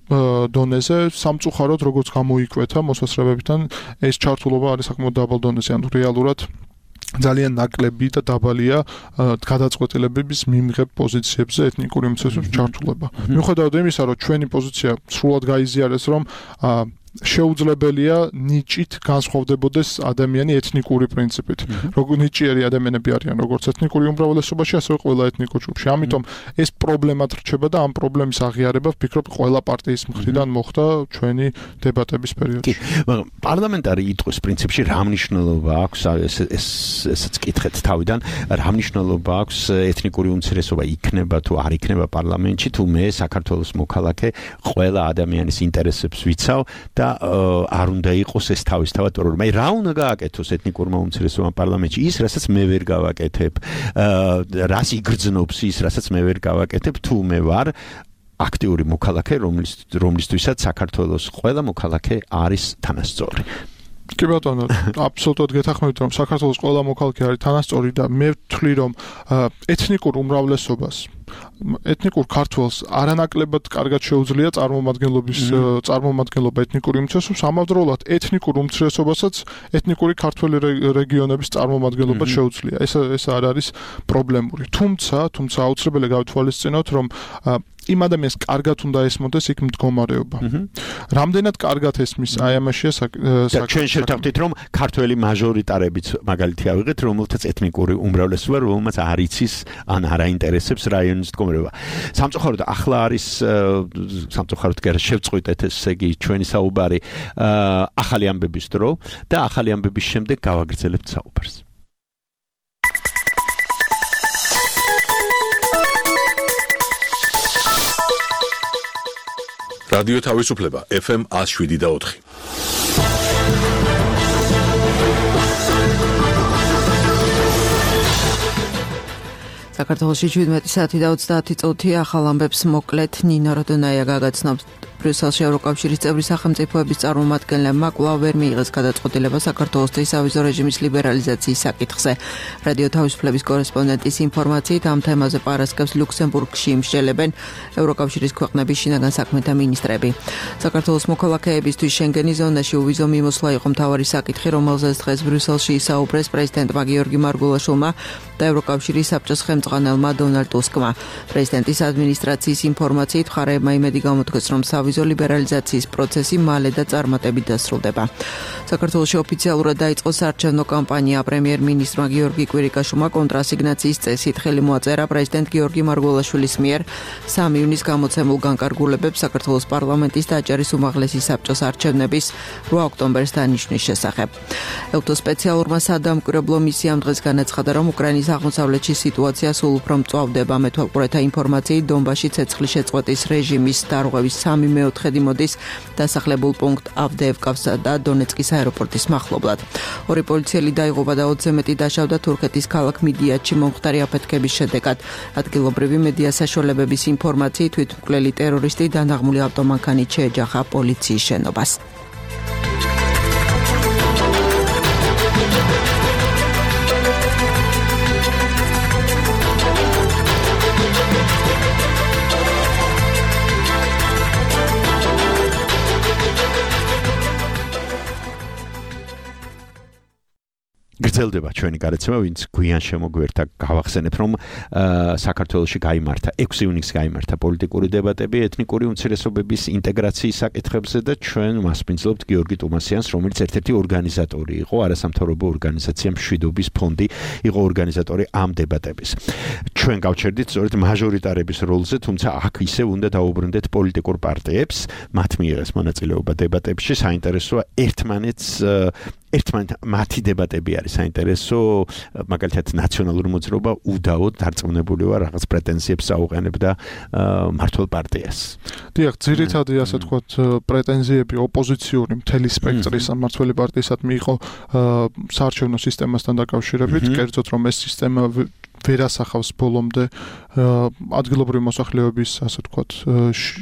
L: დონეზე სამწუხაროდ როგორც გამოიკვეთა მოსასწრებებიდან ეს ჩართულობა არის საკმაოდ დაბალ დონეზე, ანუ რეალურად ძალიან ნაკლები და დაბალია გადაწყვეტილებების მიმღებ პოზიციებზე ეთნიკური უმცირესობების ჩართულობა. მიუხედავად იმისა, რომ ჩვენი პოზიცია სრულად გაიზიარეს, რომ შეუძლებელია ნიჭით განსხვავდებოდეს ადამიანი ეთნიკური პრინციპით. როგორ ნიჭიერი ადამიანები არიან როგორც ეთნიკური უმრავლესობაში, ასევე ყველა ეთნიკურ ჯგუფში. ამიტომ ეს პრობლემად რჩება და ამ პრობლემის აღიარება ვფიქრობ ყველა პარტიის მხრიდან მოხდა ჩვენი დებატების პერიოდში.
F: მაგრამ პარლამენტარი იტყვის პრინციპში რა მნიშვნელობა აქვს ეს ესაც კითხეთ თავიდან, რა მნიშვნელობა აქვს ეთნიკური უმცირესობა იქნება თუ არ იქნება პარლამენტში, თუ მე საქართველოს მოქალაქე ყველა ადამიანის ინტერესებს ვიცავ და არ უნდა იყოს ეს თავისთავად პრობლემა. აი რა უნდა გააკეთოს ეთნიკურმა უმცირესობამ პარლამენტში? ის, რასაც მე ვერ გავაკეთებ, რას იგრძნობს ის, რასაც მე ვერ გავაკეთებ, თუ მე ვარ აქტიური მოქალაქე, რომლის რომლისთვისაც საქართველოს ყველა მოქალაქე არის თანასწორი.
L: კი ბატონო, აბსოლუტურად გეთანხმებით, რომ საქართველოს ყველა მოქალაქე არის თანასწორი და მე ვთვლი, რომ ეთნიკურ უმრავლესობას ეთნიკურ ქართველს არანაკლებად კარგად შეუძლია წარმომადგენლობის წარმომადგენლობა ეთნიკური უმცირესობების, ამავდროულად ეთნიკურ უმცირესობასაც ეთნიკური ქართველი რეგიონების წარმომადგენლობა შეუძლია. ეს ეს არ არის პრობლემური. თუმცა, თუმცა აუცილებელი გავთვალისწინოთ, რომ იმ ადამიანს კარგად უნდა ესმოდეს იქ მდგომარეობა. რამდენად კარგად ესმის აი ამაშია
F: და ჩვენ შევთავაზეთ, რომ ქართველი მაჟორიტარებიც მაგალითი ავიღეთ, რომელთაც ეთნიკური უმრავლესობა, რომელმაც არ იცის ან არ აინტერესებს რაიონ ჩვენი მდგომარეობა. სამწუხაროდ ახლა არის სამწუხაროდ კი არა შევწყვიტეთ ესე იგი ჩვენი საუბარი ახალი ამბების დრო და ახალი ამბების შემდეგ გავაგრძელებთ საუბარს.
A: რადიო თავისუფლება ეფ ემ one oh seven და four.
M: საქართველოში შვიდმეტი საათი და ოცდაათი წუთი ახალ ამბებს მოკლედ ნინო როდონაია გაგაცნობს. ბრიუსელში ევროკავშირის წევრი სახელმწიფოების წარმომადგენლებმა კვლავ ვერ მიიღეს გადაწყვეტილება საქართველოს ვიზო რეჟიმის ლიბერალიზაციის საკითხზე. რადიო თავისუფლების კორესპონდენტის ინფორმაციით ამ თემაზე პარასკევს ლუქსემბურგში იმსჯელებენ ევროკავშირის ქვეყნების შინაგან საქმეთა მინისტრები. საქართველოს მოქალაქეებისთვის შენგენის ზონაში უვიზო მიმოსვლა იყო მთავარი საკითხი, რომელზეც დღეს ბრიუსელში ისაუბრეს პრეზიდენტმა გიორგი მარგულაშვილმა და ევროკავშირის საბჭოს ხელმძღვანელმა დონალდ ტუსკმა. პრეზიდენტის ადმინისტრაციის ინფორმაციით მხარეებმა იმედი გამოთქვეს, რომ ვიზო ლიბერალიზაციის პროცესი მალე და წარმატებით დასრულდება. საქართველოში ოფიციალურად დაიწყო საარჩევნო კამპანია. პრემიერ-მინისტრმა გიორგი კვირიკაშვილმა კონტრასიგნაციის წესით ხელი მოაწერა პრეზიდენტ გიორგი მარგულაშვილის მიერ სამი ივნის გამოცემულ განკარგულებებს საქართველოს პარლამენტის და აჭარის უმაღლესი საბჭოს არჩევნების რვა ოქტომბერს დანიშნვის შესახებ. ელტოს სპეციალურმა სადამკვირვებლო მისიამ დღეს განაცხადა, რომ უკრაინის აღმოსავლეთში სიტუაცია სულ უფრო მწვავდება. მეთვალყურეთა ინფორმაციით დონბასში ცეცხლის შეწყვეტის რეჟიმის დარღვევის სამი მეოთხედი მოდის დასახლებულ პუნქტ ავდეევკასა და დონეცკის აეროპორტის მახლობლად. ორი პოლიციელი დაიღუპა და ოცზე მეტი დაშავდა თურქეთის ქალაქ მიდიათში მომხდარი აფეთქების შედეგად. ადგილობრივი მედია საშუალებების ინფორმაციით თვითმკვლელი ტერორისტი დანაღმული ავტომანქანით შეეჯახა პოლიციის შენობას.
F: გრძელდება ჩვენი გარეთ, ვინც გვიან შემოგვერთა გავახსენებ, რომ საქართველოში გაიმართა ექვსი ივნისს გაიმართა პოლიტიკური დებატები ეთნიკური უმცირესობების ინტეგრაციის საკითხებზე და ჩვენ მასპინძლობთ გიორგი ტუმასიანს, რომელიც ერთ-ერთი ორგანიზატორი იყო, არასამთავრობო ორგანიზაცია მშვიდობის ფონდი იყო ორგანიზატორი ამ დებატების. ჩვენ გავჩერდით სწორედ მაჟორიტარების როლზე, თუმცა აქ ისევ უნდა დაუბრუნდეთ პოლიტიკურ პარტიებს, მათ მიიღეს მონაწილეობა დებატებში, საინტერესოა ერთმანეთს ერთმანეთ მათი დებატები არის საინტერესო, მაგალითად ნაციონალური მოძრაობა უდაოდ დარწმუნებული ვარ რაღაც პრეტენზიებს აუყენებდა მართლ პარტიას.
L: დიახ, ძირითადად ასე თქვათ პრეტენზიები ოპოზიციური მთელი სპექტრის მმართველი პარტიისადმი იყო საარჩევნო სისტემასთან დაკავშირებით, კერძოდ რომ ეს სისტემა ვერ ასახავს ბოლომდე ადგილობრივი მოსახლეობის ასე ვთქვათ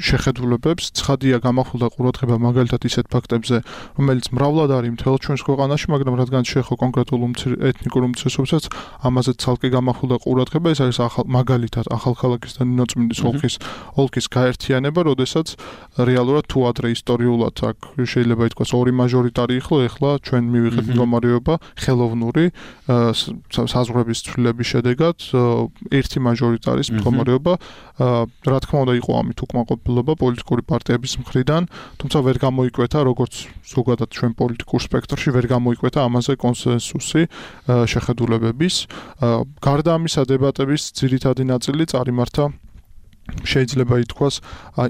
L: შეხედულებებს. ცხადია გამახვილდა ყურადღება მაგალითად ისეთ ფაქტებზე, რომელიც მრავლად არის მთელ ჩვენს ქვეყანაში, მაგრამ რადგან შეეხო კონკრეტულ ეთნიკურ უმცირესობებსაც, ამაზე ცალკე გამახვილდა ყურადღება. ეს არის მაგალითად ახალქალაქის და ნინოწმინდის ოლქის ოლქის გაერთიანება, როდესაც რეალურად თუ ადრე ისტორიულად აქ შეიძლება ითქვას ორი მაჟორიტარი იყო, ეხლა ჩვენ მივიღეთ მდგომარეობა ხელოვნური საზღვრების ცვლილების შედეგად ერთი მაჟორიტარის მდგომარეობა. რა თქმა უნდა იყო ამით უკმაყოფილება პოლიტიკური პარტიების მხრიდან, თუმცა ვერ გამოიკვეთა როგორც ზოგადად ჩვენ პოლიტიკურ სპექტრში ვერ გამოიკვეთა ამაზე კონსენსუსი შეხედულებების. გარდა ამისა დებატების ძირითადი ნაწილი წარიმართა შეიძლება ითქვას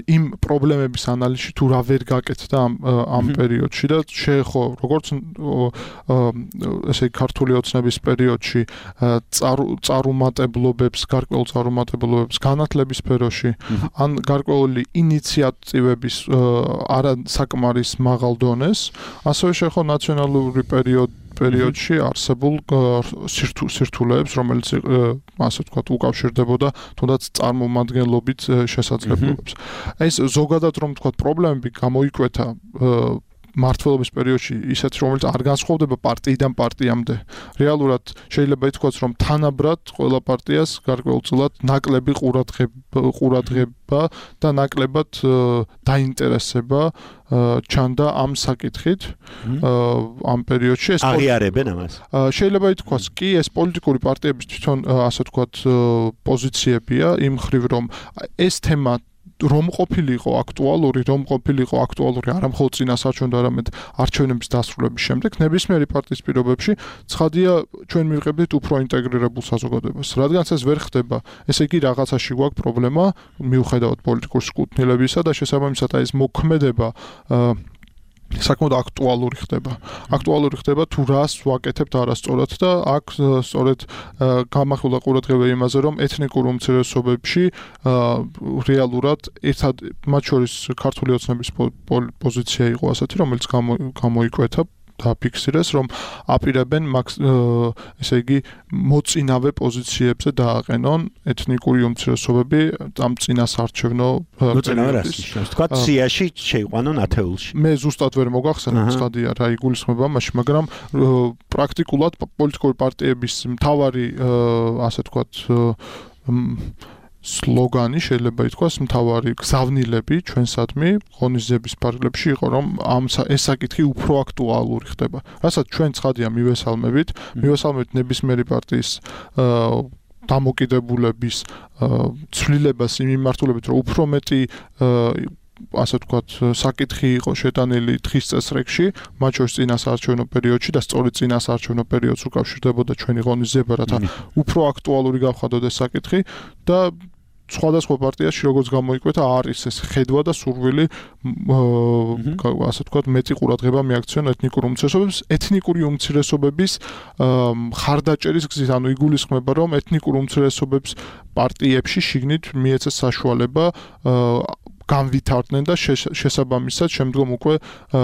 L: იმ პრობლემების ანალიზში თუ რა ვერ გაკეთდა ამ ამ პერიოდში და შეეხო როგორც ესე ქართული ოცნების პერიოდში წარუმატებლობებს, გარკვეულ წარუმატებლობებს განათლების სფეროში, ან გარკვეული ინიციატივების არასაკმარის მაღალ დონეს, ასევე შეეხო ნაციონალური პერიოდი პერიოდში არსებულ სირთულეებს, რომელიც ასე ვთქვათ უკავშირდებოდა თუნდაც წარმომადგენლობით შესაძლებლობებს. ეს ზოგადად რომ ვთქვათ პრობლემები გამოიკვეთა მართლობის პერიოდში ისეთ რომელიც არ განსხვავდება პარტიიდან პარტიამდე. რეალურად შეიძლება ითქვას რომ თანაბრად ყველა პარტიას გარკვეულწილად ნაკლები ყურადღება და ნაკლებად დაინტერესება ჩანდა ამ საკითხით ამ პერიოდში. ეს
F: აღიარებენ ამას.
L: შეიძლება ითქვას კი ეს პოლიტიკური პარტიების თვითონ ასე ვთქვათ პოზიციებია იმ ხრივ რომ ეს თემა რომ ყოფილიყო აქტუალური, რომ ყოფილიყო აქტუალური არა მხოლოდ წინასაარჩევნო, არამედ არჩევნების დასრულების შემდეგ, ნებისმიერი პარტიის პირობებში ცხადია ჩვენ მივყებდით უფრო ინტეგრირებულ საზოგადოებას. რადგანაც ეს ვერ ხდება, ესე იგი რაღაცაში გვაქვს პრობლემა, მიუხედავად პოლიტიკური სკუთნილებისა და შესაბამისად აი ეს მოქმედება საკმაოდ აქტუალური ხდება. აქტუალური ხდება თუ რას ვაკეთებთ არასწორად და აქ სწორედ გამახვილა ყურადღება იმაზე, რომ ეთნიკურ უმცირესობებში რეალურად ერთად მათ შორის ქართული ოცნების პოზიცია იყო ასეთი, რომელიც გამოიკვეთა და ფიქსირეს, რომ აპირებენ ესე იგი მოწინავე პოზიციებზე დააყენონ ეთნიკური უმცირესობები ამ წინასაარჩევნო
F: პერიოდში. თქვა სიაში შეიყვანონ ათეულში.
L: მე ზუსტად ვერ მოგახსენებ ცხადია რა იგულისხმება მაშინ, მაგრამ პრაქტიკულად პოლიტიკური პარტიების მთავარი ასე ვთქვათ სლოგანი შეიძლება ითქვას მთავარი გზავნილები ჩვენსადმი ღონისძიების ფარგლებში იყო, რომ ამ ეს საკითხი უფრო აქტუალური ხდება. რასაც ჩვენ ცხადია მივესალმებით, მივესალმებით ნებისმიერი პარტიის დამოკიდებულების ცვლილებას იმ მიმართულებით, რომ უფრო მეტი ასე ვთქვათ, საკითხი იყო შეტანილი დღის წესრიგში, მათ შორის წინასაარჩევნო პერიოდში და სწორედ წინასაარჩევნო პერიოდს უკავშირდებოდა ჩვენი ღონისძიება, რათა უფრო აქტუალური გავხადოთ ეს საკითხი და სხვადასხვა პარტიაში როგორც გამოიკვეთა არის ეს ხედვა და სურვილი ასე ვთქვათ მეტი ყურადღება მიაქციონ ეთნიკურ უმცირესობებს, ეთნიკური უმცირესობების ხარდაჭერის გზით, ანუ იგულისხმება, რომ ეთნიკურ უმცირესობებს პარტიებში შიგნით მიეცეს საშუალება განვითარდნენ და შესაბამისად შემდგომ უკვე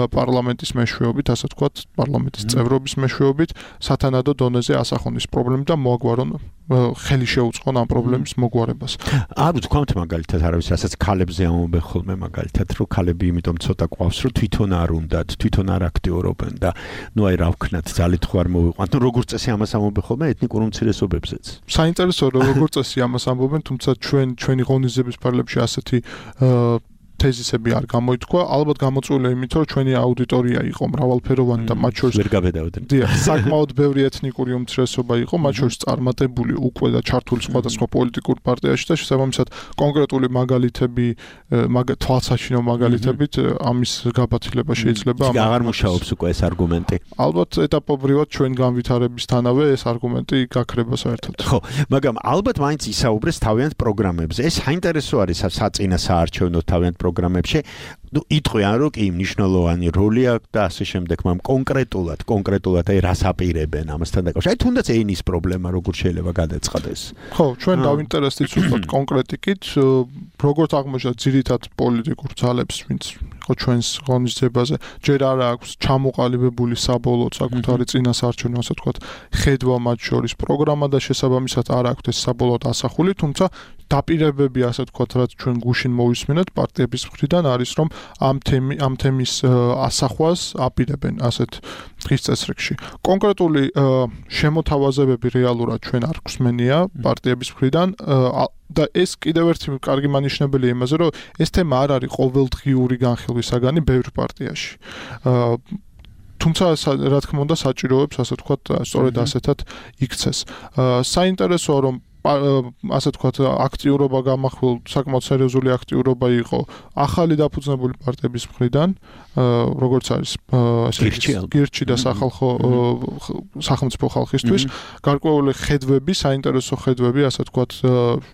L: პარლამენტის მეშვეობით, ასე ვთქვათ, პარლამენტის წევრობის მეშვეობით სათანადო დონეზე ასახონ ის პრობლემები და მოაგვარონ ხელი შეუწყონ ამ პრობლემის მოგვარებას.
F: არ ვთქვამთ მაგალითად არავის, რასაც ქალებზე ამობენ ხოლმე მაგალითად, რომ ქალები იმიტომ ცოტა ყვავს, რომ თვითონ არ უნდათ, თვითონ არ აქტიურობენ და ნუ აი რა ვქნათ, ძალით ხო არ მოვიყვანთ. ნუ როგორც წესი ამას ამობენ ხოლმე ეთნიკურ უმცირესობებზეც.
L: საინტერესოა რომ როგორც წესი ამას ამბობენ, თუმცა ჩვენ ჩვენი ღონისძიების ფარგლებში ასეთი თეზისები არ გამოითქვა, ალბათ გამოწვეული იმით, რომ ჩვენი აუდიტორია იყო მრავალფეროვანი და მათ შორის
F: ვერ გაბედავდნენ.
L: დიახ, საკმაოდ ბევრი ეთნიკური უმცირესობა იყო, მათ შორის წარმატებული უკვე და ჩართული სხვადასხვა პოლიტიკურ პარტიაში და შესაბამისად კონკრეტული მაგალითები, თვალსაჩინო მაგალითებით ამის გაბათილება შეიძლება.
F: აღარ მუშაობს უკვე ეს არგუმენტი.
L: ალბათ ეტაპობრივად ჩვენ განვითარებისთანავე ეს არგუმენტი გაქრება საერთოდ.
F: ხო, მაგრამ ალბათ მაინც ისაუბრეს თავიანთ პროგრამებზე. ეს საინტერესო არის საწინასაარჩევნო თავიანთ პროგრამებში. ნუ იტყვიან, რომ კი მნიშვნელოვანი როლი აქვს და ასე შემდეგ, მაგრამ კონკრეტულად, კონკრეტულად აი რას აპირებენ ამასთან დაკავშირებით. აი თუნდაც ეინის პრობლემა როგორ შეიძლება გადაწყდეს?
L: ხო, ჩვენ დავინტერესდით უბრალოდ კონკრეტიკით, როგორც აღმოჩნდა ძირითად პოლიტიკურ ძალებს, ვინც იყო ჩვენს ღონისძიებაზე, ჯერ არ აქვს ჩამოყალიბებული საბოლოო საკუთარი წინასაარჩევნო, ასე ვთქვათ, ხედვა მათ შორის პროგრამა და შესაბამისად არ აქვს ეს საბოლოოდ ასახული, თუმცა დაპირებები, ასე ვთქვათ, რაც ჩვენ გუშინ მოვისმინეთ პარტიების მხრიდან არის, რომ ამ თემი ამ თემის ასახვას აპირებენ ასეთ დღის წესრიგში. კონკრეტული შემოთავაზებები რეალურად ჩვენ არ გვსმენია პარტიების მხრიდან და ეს კიდევ ერთი კარგი მანიშნებელია იმაზე, რომ ეს თემა არ არის ყოველდღიური განხილვის საგანი ბევრ პარტიაში. თუმცა რა თქმა უნდა საჭიროებს, ასე ვთქვათ, სწორედ ასეთად იქცეს. საინტერესოა, რომ ასე ვთქვათ, აქტიურობა გამახვილ, საკმაოდ სერიოზული აქტიურობა იყო ახალი დაფუძნებული პარტიების მხრიდან, როგორც არის გირჩი და სახალხო სახელმწიფო ხალხისთვის, გარკვეული ხედვები, საინტერესო ხედვები, ასე ვთქვათ,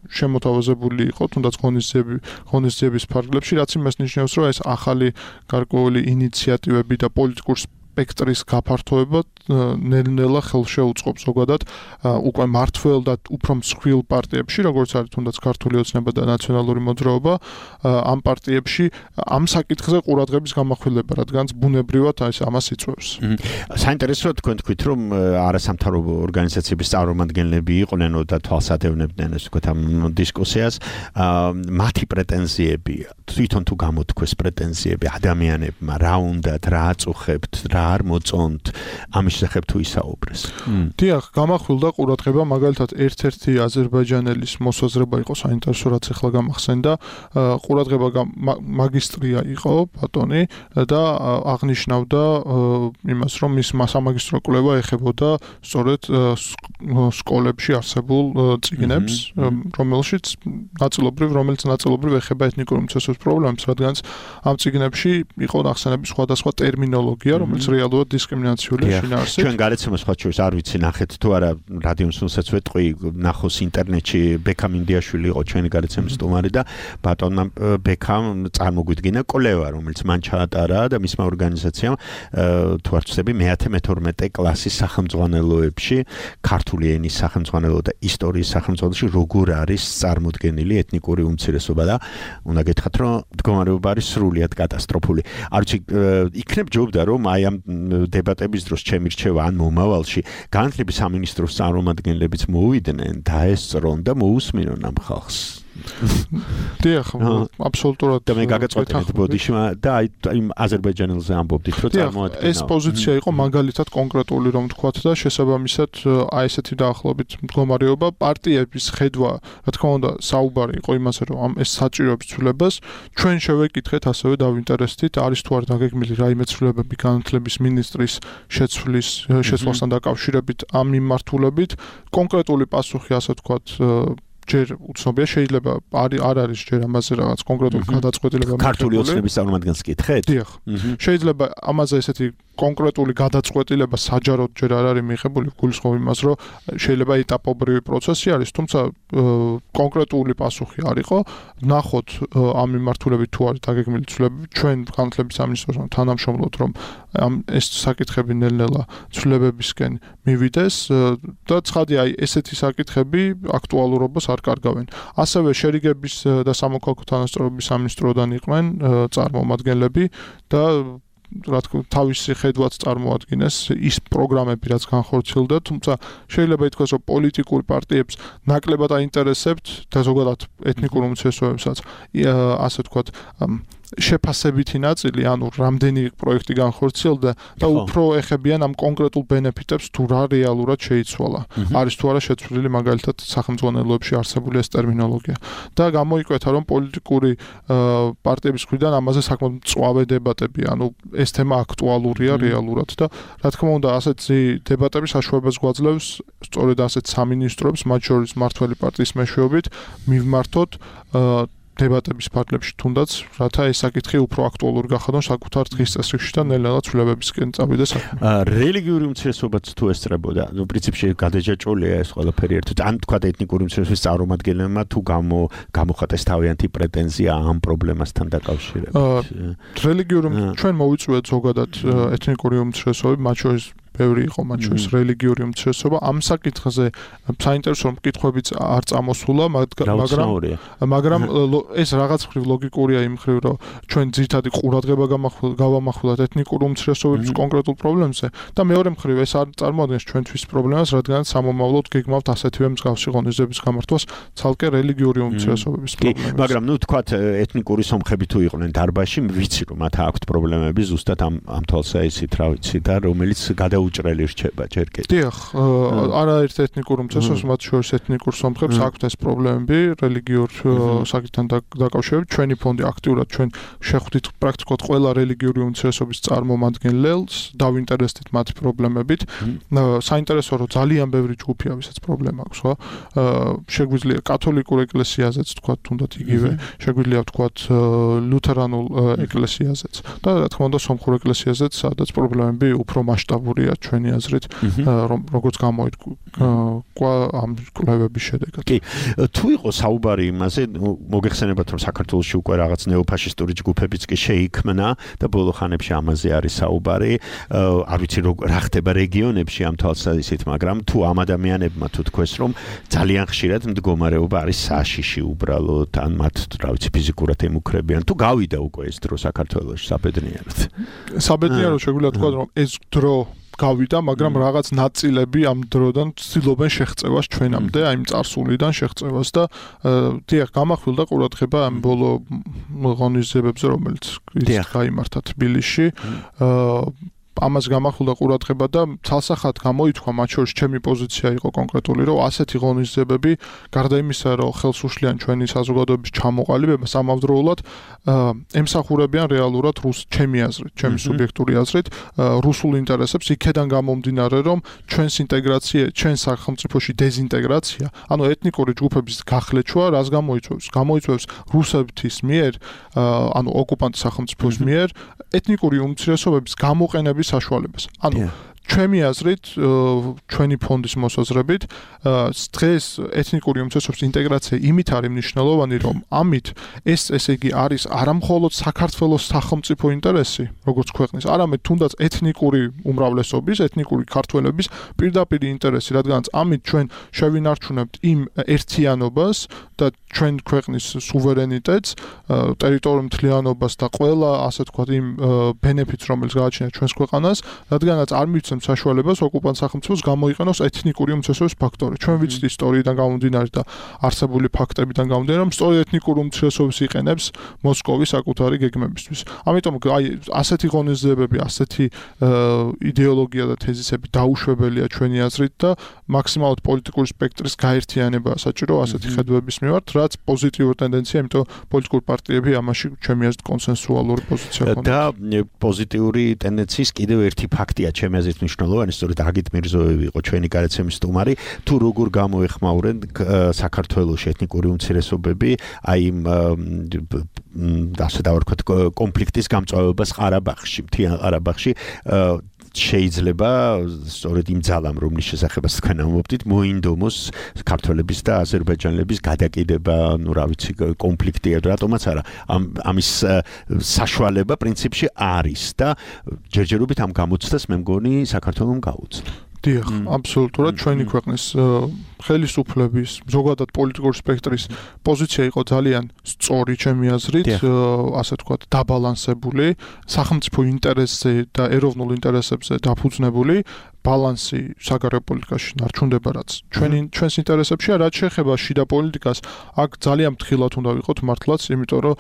L: შემოთავაზებული იყო, თუნდაც ღონისძიები, ღონისძიების ფარგლებში, რაც იმას ნიშნავს, რომ ეს ახალი გარკვეული ინიციატივები და პოლიტიკურ სპექტრის გაფართოება ნელ-ნელა ხელშეუწყობს ზოგადად უკვე მართველ და უფრო მსხვილ პარტიებში, როგორც არის თუნდაც ქართული ოცნება და ნაციონალური მოძრაობა, ამ პარტიებში ამ საკითხზე ყურადღების გამახვილება, რადგანაც ბუნებრივად ეს ამას იწვევს.
F: საინტერესოა თქვენ თქვით, რომ არასამთავრობო ორგანიზაციების წარმომადგენლები იყვნენ და თვალსადევნებდნენ ეს ვთქვათ ამ დისკუსიას, მათი პრეტენზიები, თვითონ თუ გამოთქვეს პრეტენზიები ადამიანებმა, რა უნდათ, რა აწუხებთ, რა არ მოწონთ ამის შესახებ თუ ისაუბრეს.
L: დიახ, გამახვილდა ყურადღება მაგალითად ერთ-ერთი აზერბაიჯანელის მოსაზრება იყო საინტერესო რაც ახლა გამახსენდა ყურადღება მაგისტრია იყო ბატონი და აღნიშნავდა იმას რომ მის სამაგისტრო კვლევა ეხებოდა სწორედ სკოლებში არსებულ წიგნებს რომელშიც ნაწილობრივ რომელიც ნაწილობრივ ეხება ეთნიკური უმცირესობის პრობლემებს რადგანაც ამ წიგნებში იყო ნახსენები სხვადასხვა ტერმინოლოგია რომელიც რეალურად დისკრიმინაციული შინაარსით
F: ჩვენ გარეთ სხვა შორის არ ვიცი ნახეთ თუ არა რადიოსუნსაც ვეტყვი ნახოს ინტერნეტში ბექამ ინდიაშვილი იყო ჩვენი გარეთმის სტუმარი და ბატონმა ბექამ წარმოგვიდგინა კოლევა რომელიც მან ჩაატარა და მისმა ორგანიზაციამ თუ არ ვცდები მეათე მეთორმეტე კლასის სახელმძღვანელოებში ქართული ენის სახელმძღვანელო და ისტორიის სახელმძღვანელოში როგორ არის წარმოდგენილი ეთნიკური უმცირესობა და უნდა გითხრათ რომ მდგომარეობა არის სრულიად კატასტროფული არ ვიცი იქნებ ჯობდა რომ აი ამ დებატების დროს ჩემი რჩევა ან მომავალში განათლების სამინისტროს წარმომადგენლებიც მოვიდნენ დაესწრონ და მოусმინონ ამ ხალხს
L: დიახ, აბსოლუტურად
F: და მე გაგაწყვეტეთ ბოდიშმა და აი იმ აზერბაიჯანელზე ამბობდით რომ
L: წარმოადგენდა ეს პოზიცია იყო მაგალითად კონკრეტული რომ თქვათ და შესაბამისად აი ესეთი დაახლოებით მდგომარეობა პარტიების ხედვა რა თქმა უნდა საუბარი იყო იმაზე რომ ამ ეს საჭიროებს ცვლილებას ჩვენ შევეკითხეთ ასევე დავინტერესდით არის თუ არ დაგეგმილი რაიმე ცვლილებები განათლების მინისტრის შეცვლის შეცვლასთან დაკავშირებით ამ მიმართულებით კონკრეტული პასუხი ასე თქვათ ჯერ უცნობია შეიძლება არ არ არის ჯერ ამაზე რაღაც კონკრეტული გადაწყვეტილება
F: ქართული ოცნების წარმომადგენელს კითხეთ?
L: დიახ. შეიძლება ამაზე ესეთი კონკრეტული გადაწყვეტილება საჯაროდ ჯერ არ არის მიღებული გულისხმობ იმას რომ შეიძლება ეტაპობრივი პროცესი არის თუმცა კონკრეტული პასუხი არ იყო ნახოთ ამ მიმართულებით თუ არის დაგეგმილი ცვლილებები ჩვენ განათლების სამინისტროსთან თანამშრომლობთ რომ ამ ეს საკითხები ნელ-ნელა ცვლილებებისკენ მივიდეს და ცხადია აი ესეთი საკითხები აქტუალურობას არ კარგავენ. ასევე შერიგების და სამოქალაქო თანასწორობის სამინისტროდან იყვნენ წარმომადგენლები და რა თქმა უნდა თავისი ხედვაც წარმოადგენს ის პროგრამები რაც განხორციელდა თუმცა შეიძლება ითქვას რომ პოლიტიკურ პარტიებს ნაკლებად აინტერესებთ და ზოგადად ეთნიკურ უმცირესობებსაც ასე ვთქვათ შეფასებითი ნაწილი, ანუ რამდენი პროექტი განხორციელდა და უფრო ეხებიან ამ კონკრეტულ ბენეფიტებს თუ რა რეალურად შეიცვალა. არის თუ არა შეცვლილი მაგალითად სახელმძღვანელოებში არსებული ეს ტერმინოლოგია. და გამოიკვეთა რომ პოლიტიკური პარტიების მხრიდან ამაზე საკმაოდ მწვავე დებატები, ანუ ეს თემა აქტუალურია რეალურად და რა თქმა უნდა ასეთი დებატები საშუალებას გვაძლევს სწორედ ასეთ სამინისტროებს, მათ შორის მმართველი პარტიის მეშვეობით მივმართოთ დებატების ფარგლებში თუნდაც რათა ეს საკითხი უფრო აქტუალური გახადონ საკუთარ დღის წესრიგში და ნელ-ნელა ცვლილებებისკენ წავიდეს საქმე.
F: რელიგიური უმცირესობაც თუ ესწრებოდა, ნუ პრინციპში გადაჯაჭვულია ეს ყველაფერი ერთად. ან თქვა ეთნიკური უმცირესობის წარმომადგენლებმა თუ გამო გამოხატეს თავიანთი პრეტენზია ამ პრობლემასთან დაკავშირებით.
L: რელიგიური ჩვენ მოვიწვიეთ ზოგადად ეთნიკური უმცირესობები, მათ შორის ბევრი იყო მათ შორის რელიგიური უმცირესობა ამ საკითხზე საინტერესო მკითხვებიც არ წამოსულა მაგრამ მაგრამ ეს რაღაც მხრივ ლოგიკურია იმ მხრივ რომ ჩვენ ძირითადი ყურადღება გავამახვილოთ ეთნიკურ უმცირესობების კონკრეტულ პრობლემებზე და მეორე მხრივ ეს არ წარმოადგენს ჩვენთვის პრობლემას რადგან სამომავლოდ გეგმავთ ასეთივე მსგავსი ღონისძიების გამართვას ცალკე რელიგიური უმცირესობების პრობლემას
F: მაგრამ ნუ თქვათ ეთნიკური სომხები თუ იყვნენ დარბაზში ვიცი რომ მათ აქვთ პრობლემები ზუსტად ამ ამ თვალსაჩინო რა ვიცი და რომელიც გადა უჭრელი რჩება ჯერ კიდევ.
L: დიახ, არაერთ ეთნიკურ უმცირესობას მათ შორის ეთნიკურ სომხებს აქვთ ეს პრობლემები რელიგიურ საკითხთან დაკავშირებით. ჩვენი ფონდი აქტიურად ჩვენ შეხვდით პრაქტიკულად ყველა რელიგიური უმცირესობის წარმომადგენელს, დავინტერესდით მათ პრობლემებით. საინტერესოა რომ ძალიან ბევრი ჯგუფია, ვისაც პრობლემა აქვს, ხო? შეგვიძლია კათოლიკურ ეკლესიაზეც თქვა თუნდაც იგივე, შეგვიძლია ვთქვათ ლუთერანულ ეკლესიაზეც და რა თქმა უნდა სომხურ ეკლესიაზეც, სადაც პრობლემები უფრო მასშტაბურია ჩვენი აზრით, რომ როგორც გამოიდგა ამ კვლევების შედეგად.
F: კი, თუ იყო საუბარი იმაზე, მოგეხსენებათ რომ საქართველოში უკვე რაღაც ნეოფაშისტური ჯგუფებიც კი შეიქმნა და ბოლო ხანებში ამაზე არის საუბარი. არ ვიცი რა ხდება რეგიონებში ამ თვალსაზრისით, მაგრამ თუ ამ ადამიანებმა თუ თქვეს რომ ძალიან ხშირად მდგომარეობა არის საშიში უბრალოდ, ან მათ რა ვიცი ფიზიკურად ემუქრებიან, თუ გავიდა უკვე ეს დრო საქართველოში საბედნიერად.
L: საბედნიერად შეგვიძლია თქვა რომ ეს დრო გავიდა, მაგრამ რაღაც ნაწილები ამ დროდან ცდილობენ შეღწევას ჩვენამდე, აი იმ წარსულიდან შეღწევას და დიახ, გამახვილდა ყურადღება ამ ბოლო ღონისძიებებზე, რომელიც გაიმართა თბილისში. ამას გამახვილდა ყურადღება და თალსახად გამოითქვა მათ შორის ჩემი პოზიცია იყო კონკრეტული, რომ ასეთი ღონისძიებები გარდა იმისა, რომ ხელს უშლიან ჩვენი საზოგადოების ჩამოყალიბებას, ამავდროულად ემსახურებიან რეალურად რუს ჩემი აზრით, ჩემი სუბიექტური აზრით, რუსულ ინტერესებს იქედან გამომდინარე, რომ ჩვენს ინტეგრაცია, ჩვენ სახელმწიფოში დეზინტეგრაცია, ანუ ეთნიკური ჯგუფების გახლეჩვა, რას გამოიწვევს? გამოიწვევს რუსეთის მიერ, ანუ ოკუპანტ სახელმწიფოს მიერ ეთნიკური უმცირესობების გამოყენების საშუალებას. ანუ ჩვენი აზრით, ჩვენი ფონდის მოსაზრებით, დღეს ეთნიკური უმცირესობების ინტეგრაცია იმით არის მნიშვნელოვანი, რომ ამით ეს ესე იგი არის არამხოლოდ საქართველოს სახელმწიფო ინტერესი, როგორც ქვეყნის, არამედ თუნდაც ეთნიკური უმრავლესობის, ეთნიკური ქართველების პირდაპირ ინტერესი, რადგანაც ამით ჩვენ შევინარჩუნებთ იმ ერთიანობას და ჩვენ ქვეყნის სუვერენიტეტს, ტერიტორიულ მთლიანობას და ყველა, ასე ვთქვათ, იმ ბენეფიტს, რომელიც გააჩნია ჩვენს ქვეყანას, რადგანაც არ მივცემ საშუალებას ოკუპანტ სახელმწიფოს გამოიყენოს ეთნიკური უმცირესობის ფაქტორი. ჩვენ ვიცით ისტორიიდან გამომდინარე და არსებული ფაქტებიდან გამომდინარე, რომ სწორედ ეთნიკური უმცირესობის იყენებს მოსკოვი საკუთარი გეგმებისთვის. ამიტომ აი ასეთი ღონისძიებები, ასეთი იდეოლოგია და თეზისები დაუშვებელია ჩვენი აზრით და მაქსიმალურად პოლიტიკური სპექტრის გაერთიანებაა საჭირო ასეთი ხედვების მიმართ, რაც პოზიტიური ტენდენცია, იმიტომ პოლიტიკური პარტიები ამაში ჩემი აზრით კონსენსუალური პოზიცია ჰქონდათ.
F: და პოზიტიური ტენდენციის კიდევ ერთი ფაქტია ჩემი აზრით მნიშვნელოვანი, სწორედ აგით მირზოევი იყო ჩვენი გადაცემის სტუმარი, თუ როგორ გამოეხმაურენ საქართველოს ეთნიკური უმცირესობები აი იმ ასე დავარქვათ კონფლიქტის გამწვავებას ყარაბაღში, მთიან ყარაბაღში შეიძლება სწორედ იმ ძალამ, რომლის შესახებაც თქვენ ამბობთ, მოინდომოს ქართველების და აზერბაიჯანელების გადაკიდება, ну, რა ვიცი, კონფლიქტი, რატომაც არა. ამის საშუალება პრინციპში არის და ჯერჯერობით ამ გამოცდას მე მგონი საქართველოს გაუწია.
L: დიახ, აბსოლუტურად ჩვენი ქვეყნის ხელისუფლების, ზოგადად პოლიტიკური სპექტრის პოზიცია იყო ძალიან სწორი ჩემი აზრით, ასე ვთქვათ, დაბალანსებული, სახელმწიფო ინტერესზე და ეროვნულ ინტერესებზე დაფუძნებული. ბალანსი საგარეო პოლიტიკაში ნარჩუნდება, რაც ჩვენი ჩვენს ინტერესებშია, რაც შეეხება შიდა პოლიტიკას, აქ ძალიან ფრთხილად უნდა ვიყოთ მართლაც, იმიტომ რომ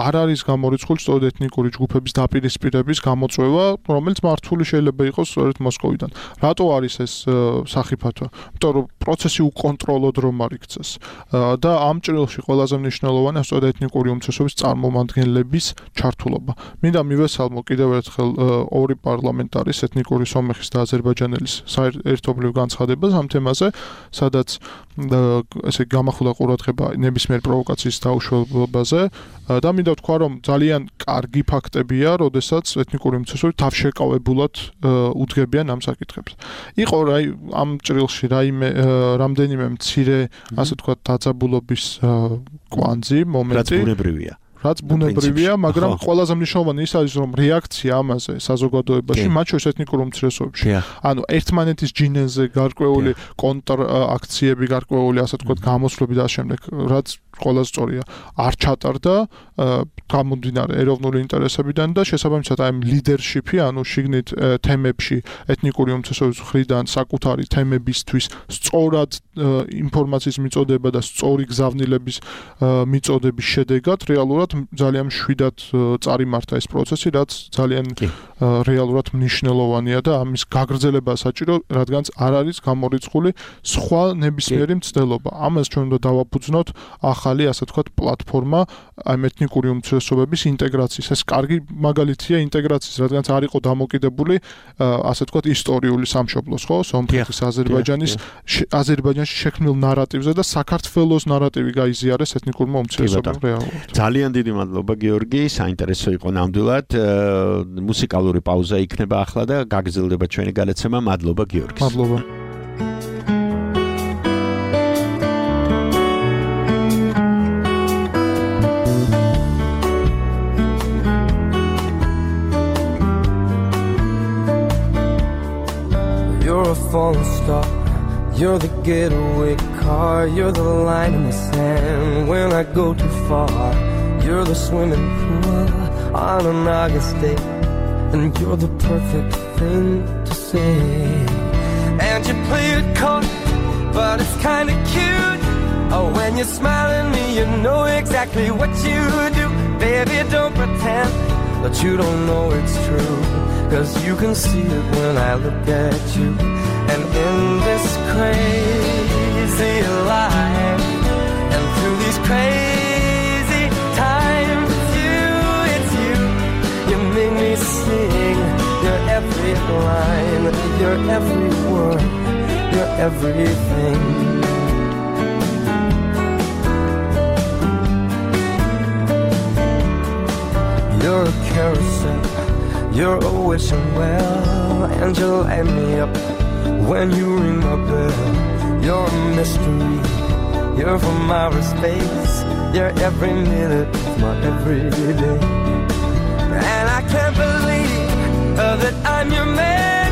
L: არ არის გამორიცხული სწორედ ეთნიკური ჯგუფების დაპირისპირების გამოწვევა, რომელიც მართული შეიძლება იყოს სწორედ მოსკოვიდან. რატო არის ეს სახიფათო? იმიტომ რომ პროცესი უკონტროლოდ რომ არ იქცეს და ამ ჭრილში ყველაზე მნიშვნელოვანია სწორედ ეთნიკური უმცირესობის წარმომადგენლების ჩართულობა. მინდა მივესალმო კიდევ ერთხელ ორი პარლამენტარის, ეთნიკური სომეხის და აზერბაიჯანელის საერთობლივ განცხადებას ამ თემაზე, სადაც ესე გამახვილა ყურადღება ნებისმიერ პროვოკაციის დაუშვებაზე და მინდა ვთქვა, რომ ძალიან კარგი ფაქტებია, როდესაც ეთნიკური უმცირესობები თავშეკავებულად უძღებიან ამ საკითხებს. იყო რაი ამ ჭრილში რაიმე რამდენიმე მცირე, ასე ვთქვათ, დაძაბულობის კვანძი, მომენტი.
F: რაც ბუნებრივია.
L: რაც ბუნებრივია, მაგრამ ყველაზე მნიშვნელოვანი ის არის, რომ რეაქცია ამაზე საზოგადოებაში, მათ შორის ეთნიკურ უმცირესობებში, ანუ ერთმანეთის ჯინენზე გარკვეული კონტრ-აქციები, გარკვეული, ასე ვთქვათ, გამოსვლები და შემდეგ, რაც ყველაზე სწორია, არ ჩატარდა გამომდინარე ეროვნული ინტერესებიდან და შესაბამისად აი ლიდერშიპი, ანუ შიგნით თემებში ეთნიკური უმცირესობების მხრიდან საკუთარი თემებისთვის სწორად ინფორმაციის მიწოდება და სწორი გზავნილების მიწოდების შედეგად რეალურად ძალიან მშვიდად წარიმართა ეს პროცესი, რაც ძალიან რეალურად მნიშვნელოვანია და ამის გაგრძელება საჭირო, რადგანაც არ არის გამორიცხული სხვა ნებისმიერი მცდელობა. ამას ჩვენ უნდა დავაფუძნოთ ახალი, ასე ვთქვათ, პლატფორმა ამ ეთნიკური უმცირესობების ინტეგრაციის. ეს კარგი მაგალითია ინტეგრაციის, რადგანაც არ იყო დამოკიდებული, ასე ვთქვათ, ისტორიული სამშობლოს, ხო, სომხეთის, აზერბაიჯანის, აზერბაიჯანში შექმნილ ნარატივზე და საქართველოს ნარატივი გაიზიარეს ეთნიკურმა უმცირესობამ რეალურად.
F: ძალიან დიდი მადლობა გიორგი, საინტერესო იყო ნამდვილად. მუსიკალური პაუზა იქნება ახლა და გაგრძელდება ჩვენი გადაცემა. მადლობა გიორგი.
L: მადლობა.
N: You're a falling star, you're the getaway car, you're the line in the sand when I go too far. You're the swimming pool on an August day, and you're the perfect thing to say. And you play it cold, but it's kinda cute. Oh, when you smile at me, you know exactly what you do. Baby, don't pretend that you don't know it's true. 'cause you can see it when I look at you. And in this crazy life, and through these crazy times, it's you, it's you. You make me sing your every line, your every word, your everything. You're a carousel, you're a wishing well, and you light me up when you ring my bell. You're a mystery, you're from outer space, you're every minute of my everyday. And I can't believe uh, that I'm your man,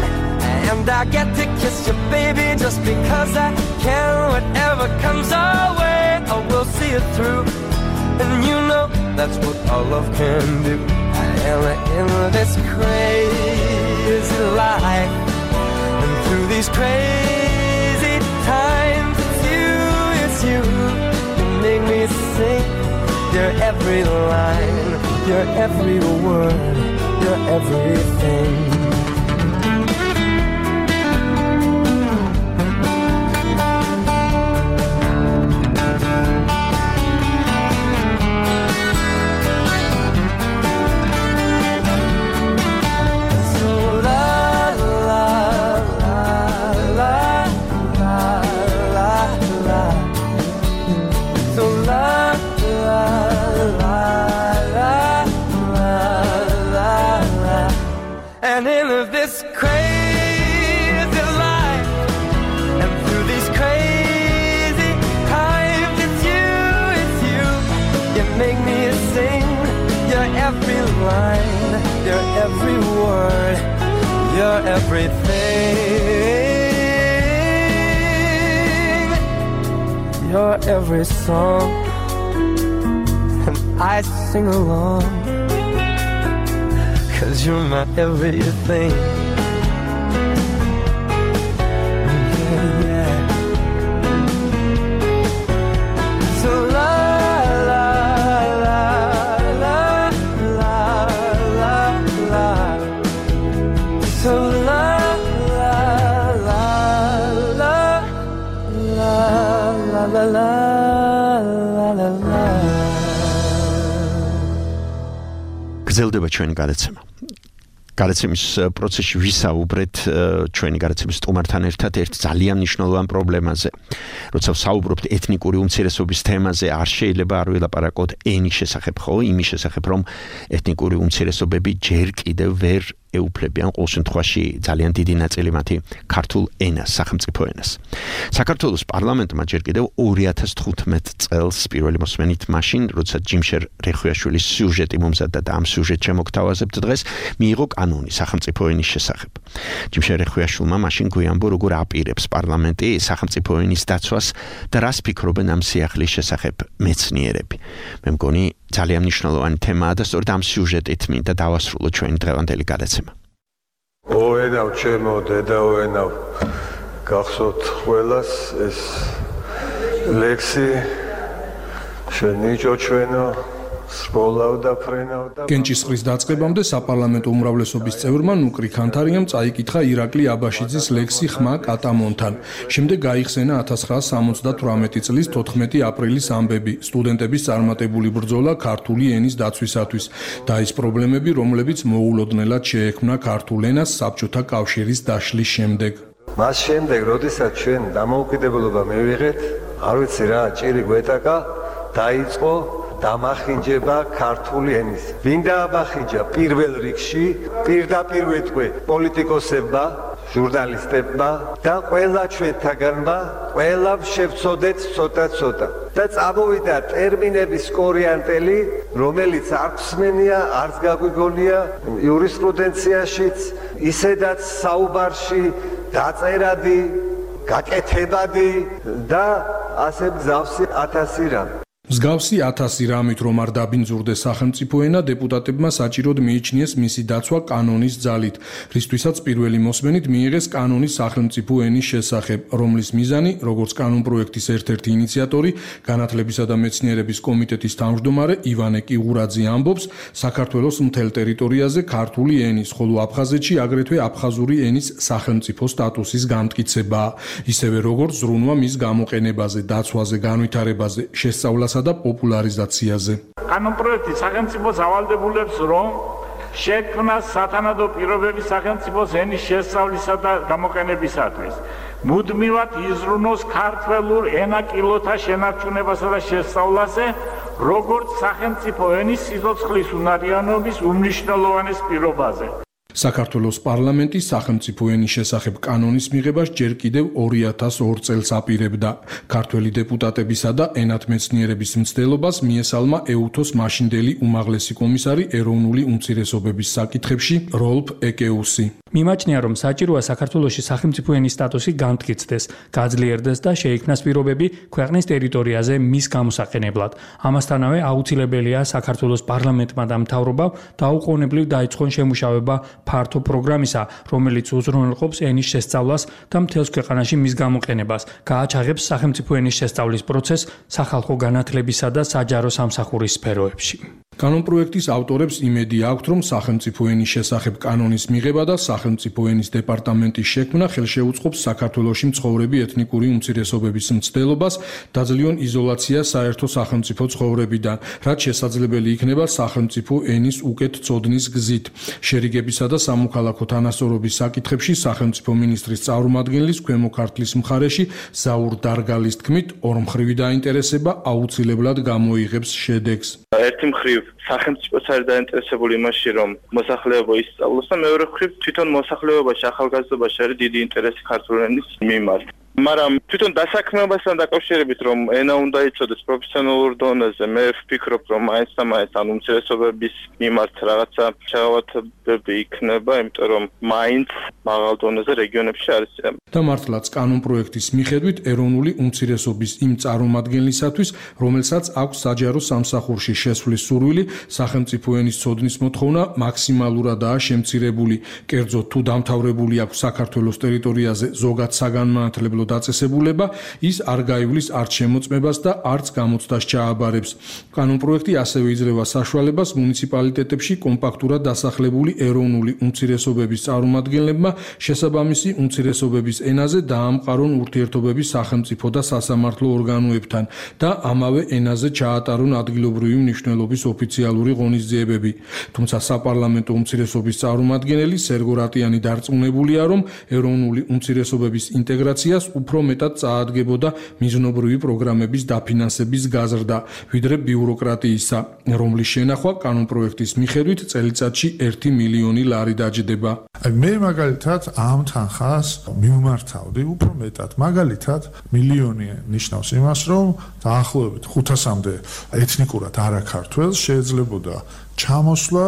N: and I get to kiss you, baby, just because I can. Whatever comes our way, I will see it through. And you know that's what our love can do. And in this crazy life, and through these crazy times, it's you, it's you. You make me sing your every line, your every word, your everything. And in this crazy life, and through these crazy times, it's you, it's you. You make me sing your every line, your every word, your everything, your every song, and I sing along. 'Cause you're my everything. Yeah, yeah. So la la la la la la la. So la la la la la la la la la la.
F: გრძელდება ჩვენი გადაცემა. გადაცემის პროცესში ვისაუბრეთ ჩვენი გადაცემის სტუმართან ერთად ერთ ძალიან მნიშვნელოვან პრობლემაზე. როცა ვსაუბრობთ ეთნიკური უმცირესობის თემაზე, არ შეიძლება არ ვილაპარაკოთ ენის შესახებ, ხო, იმის შესახებ, რომ ეთნიკური უმცირესობები ჯერ კიდევ ვერ ეუფლებიან ყოველ შემთხვევაში ძალიან დიდი ნაწილი მათი ქართულ ენას, სახელმწიფო ენას. საქართველოს პარლამენტმა ჯერ კიდევ ორი ათას თხუთმეტ წელს პირველი მოსმენით მაშინ, როცა ჯიმშერ რეხვიაშვილის სიუჟეტი მომზადდა და ამ სიუჟეტს შემოგთავაზებთ დღეს, მიიღო კანონი სახელმწიფო ენის შესახებ. ჯიმშერ რეხვიაშვილმა მაშინ გვიანბო, როგორ აპირებს პარლამენტი სახელმწიფო ენის დაცვას და რას ფიქრობენ ამ სიახლის შესახებ მეცნიერები. მე მგონი ძალიან მნიშვნელოვანი თემაა და სწორედ ამ სიუჟეტით მინდა დავასრულო ჩვენი დღევანდელი გადაცემა.
O: ოენავ ჩემო დედაოენავ გახსოვთ ყველას ეს ლექსი შენიჭო ჩვენო
P: გენჭისყრის დაწყებამდე საპარლამენტო უმრავლესობის წევრმა ნუკრი ქანთარიამ წაიკითხა ირაკლი აბაშიძის ლექსი ხმა კატამონთან. შემდეგ გაიხსენა ათას ცხრაას სამოცდათვრამეტი წლის თოთხმეტი აპრილის ამბები, სტუდენტების წარმატებული ბრძოლა ქართული ენის დაცვისათვის და ის პრობლემები, რომლებიც მოულოდნელად შეექმნა ქართულ ენას საბჭოთა კავშირის დაშლის შემდეგ.
O: მას შემდეგ, როდესაც ჩვენ დამოუკიდებლობა მივიღეთ, არ ვიცი რა, ჭირი გვეტაკა, დაიწყო დამახინჯება ქართული ენის. ვინ დააბახინჯა პირველ რიგში? პირდაპირ ვეთქვე პოლიტიკოსებმა, ჟურნალისტებმა და ყველა ჩვენთაგანმა, ყველამ შევწოდეთ ცოტა-ცოტა. და წამოვიდა ტერმინების კორიანტელი, რომელიც არ ხსმენია, არც გაგვიგონია იურისპრუდენციაშიც, ისედაც საუბარში დაწერადი, გაკეთებადი და ასე მსგავსი ათასი რამ.
P: მსგავსი ათასი რამით რომ არ დაბინძურდეს სახელმწიფო ენა, დეპუტატებმა საჭიროდ მიიჩნიეს მისი დაცვა კანონის ძალით, რისთვისაც პირველი მოსმენით მიიღეს კანონის სახელმწიფო ენის შესახებ, რომლის მიზანი, როგორც კანონპროექტის ერთ-ერთი ინიციატორი, განათლებისა და მეცნიერების კომიტეტის თავმჯდომარე ივანე კიღურაძე ამბობს, საქართველოს მთელ ტერიტორიაზე ქართული ენის, ხოლო აფხაზეთში აგრეთვე აფხაზური ენის სახელმწიფო სტატუსის განმტკიცებაა, ისევე როგორც ზრუნვა მის გამოყენებაზე, დაცვაზე, განვითარებაზე, შესწავლასა და პოპულარიზაციაზე.
Q: კანონპროექტი სახელმწიფოს ავალდებულებს, რომ შექმნას სათანადო პირობები სახელმწიფოს ენის შესწავლისა და გამოყენებისათვის. მუდმივად იზრუნოს ქართველურ ენაკილოთა შენარჩუნებასა და შესწავლაზე, როგორც სახელმწიფო ენის სიცოცხლის უნარიანობის უმნიშვნელოვანეს პირობაზე.
P: საქართველოს პარლამენტი სახელმწიფო ენის შესახებ კანონის მიღებას ჯერ კიდევ ორი ათას ორ წელს აპირებდა. ქართველი დეპუტატებისა და ენათმეცნიერების მცდელობას მიესალმა ეუთოს მაშინდელი უმაღლესი კომისარი ეროვნული უმცირესობების საკითხებში როლფ ეკეუსი.
R: მიმაჩნია, რომ საჭიროა საქართველოში სახელმწიფო ენის სტატუსი განმტკიცდეს, გაძლიერდეს და შეიქმნას პირობები ქვეყნის ტერიტორიაზე მის გამოსაყენებლად. ამასთანავე აუცილებელია საქართველოს პარლამენტმა და მთავრობამ დაუყოვნებლივ დაიწყონ შემუშავება ფართო პროგრამისა, რომელიც უზრუნველყოფს ენის შესწავლას და მთელს ქვეყანაში მის გამოყენებას, გააჩაღებს სახელმწიფო ენის შესწავლის პროცესს სახალხო განათლებისა და საჯარო სამსახურის სფეროებში.
P: კანონპროექტის ავტორებს იმედი აქვთ, რომ სახელმწიფო ენის შესახებ კანონის მიღება და სახელმწიფო ენის დეპარტამენტის შექმნა ხელშეუწყობს საქართველოში მცხოვრები ეთნიკური უმცირესობების მცდელობას, დაძლიონ იზოლაციას საერთო სახელმწიფო ცხოვრებიდან, რაც შესაძლებელი იქნება სახელმწიფო ენის უკეთ წოდნის გზით. შერიგებისა და სამოქალაქო თანასწორობის საკითხებში სახელმწიფო მინისტრის წარმომადგენლის ქვემო ქართლის მხარეში ზაურ დარგალის თქმით, ორმხრივი დაინტერესება აუცილებლად გამოიღებს შედეგს.
S: ერთი მხრივ სახელმწიფოც არის დაინტერესებული იმაში, რომ მოსახლეობა ისწავლოს და მეორე მხრივ თვითონ მოსახლეობაში, ახალგაზრდობაში არის დიდი ინტერესი ქართული ენის მიმართ. მაგრამ თვითონ დასაქმებასთან დაკავშირებით, რომ ენა უნდა იცოდეს პროფესიონალურ დონეზე, მე ვფიქრობ, რომ მაინც და მაინც ან უმცირესობების მიმართ რაღაცა შეღავათებები იქნება, იმიტომ რომ მაინც მაღალ დონეზე რეგიონებში არის.
P: და მართლაც კანონპროექტის მიხედვით ეროვნული უმცირესობის იმ წარმომადგენლისათვის, რომელსაც აქვს საჯარო სამსახურში შესვლის სურვილი, სახელმწიფო ენის ცოდნის მოთხოვნა მაქსიმალურადაა შემცირებული. კერძოდ თუ დამთავრებული აქვს საქართველოს ტერიტორიაზე ზოგად საგანმანათლებლო დაწესებულება, ის არ გაივლის არც შემოწმებას და არც გამოცდას ჩააბარებს. კანონპროექტი ასევე იძლევა საშუალებას მუნიციპალიტეტებში კომპაქტურად დასახლებული ეროვნული უმცირესობების წარმომადგენლებმა შესაბამისი უმცირესობების ენაზე დაამყარონ ურთიერთობები სახელმწიფო და სასამართლო ორგანოებთან და ამავე ენაზე ჩაატარონ ადგილობრივი მნიშვნელობის ოფიციალური ღონისძიებები. თუმცა საპარლამენტო უმცირესობის წარმომადგენელი სერგო რატიანი დარწმუნებულია, რომ ეროვნული უმცირესობების ინტეგრაციას უფრო მეტად წაადგებოდა მიზნობრივი პროგრამების დაფინანსების გაზრდა, ვიდრე ბიუროკრატიისა, რომლის შენახვა კანონპროექტის მიხედვით წელიწადში ერთი მილიონი ლარი დაჯდება.
T: მე მაგალითად ამ თანხას მივმართავდი უფრო მეტად. მაგალითად, მილიონი ნიშნავს იმას, რომ დაახლოებით ხუთასამდე ეთნიკურად არაქართველს შეიძლებოდა ჩამოსვლა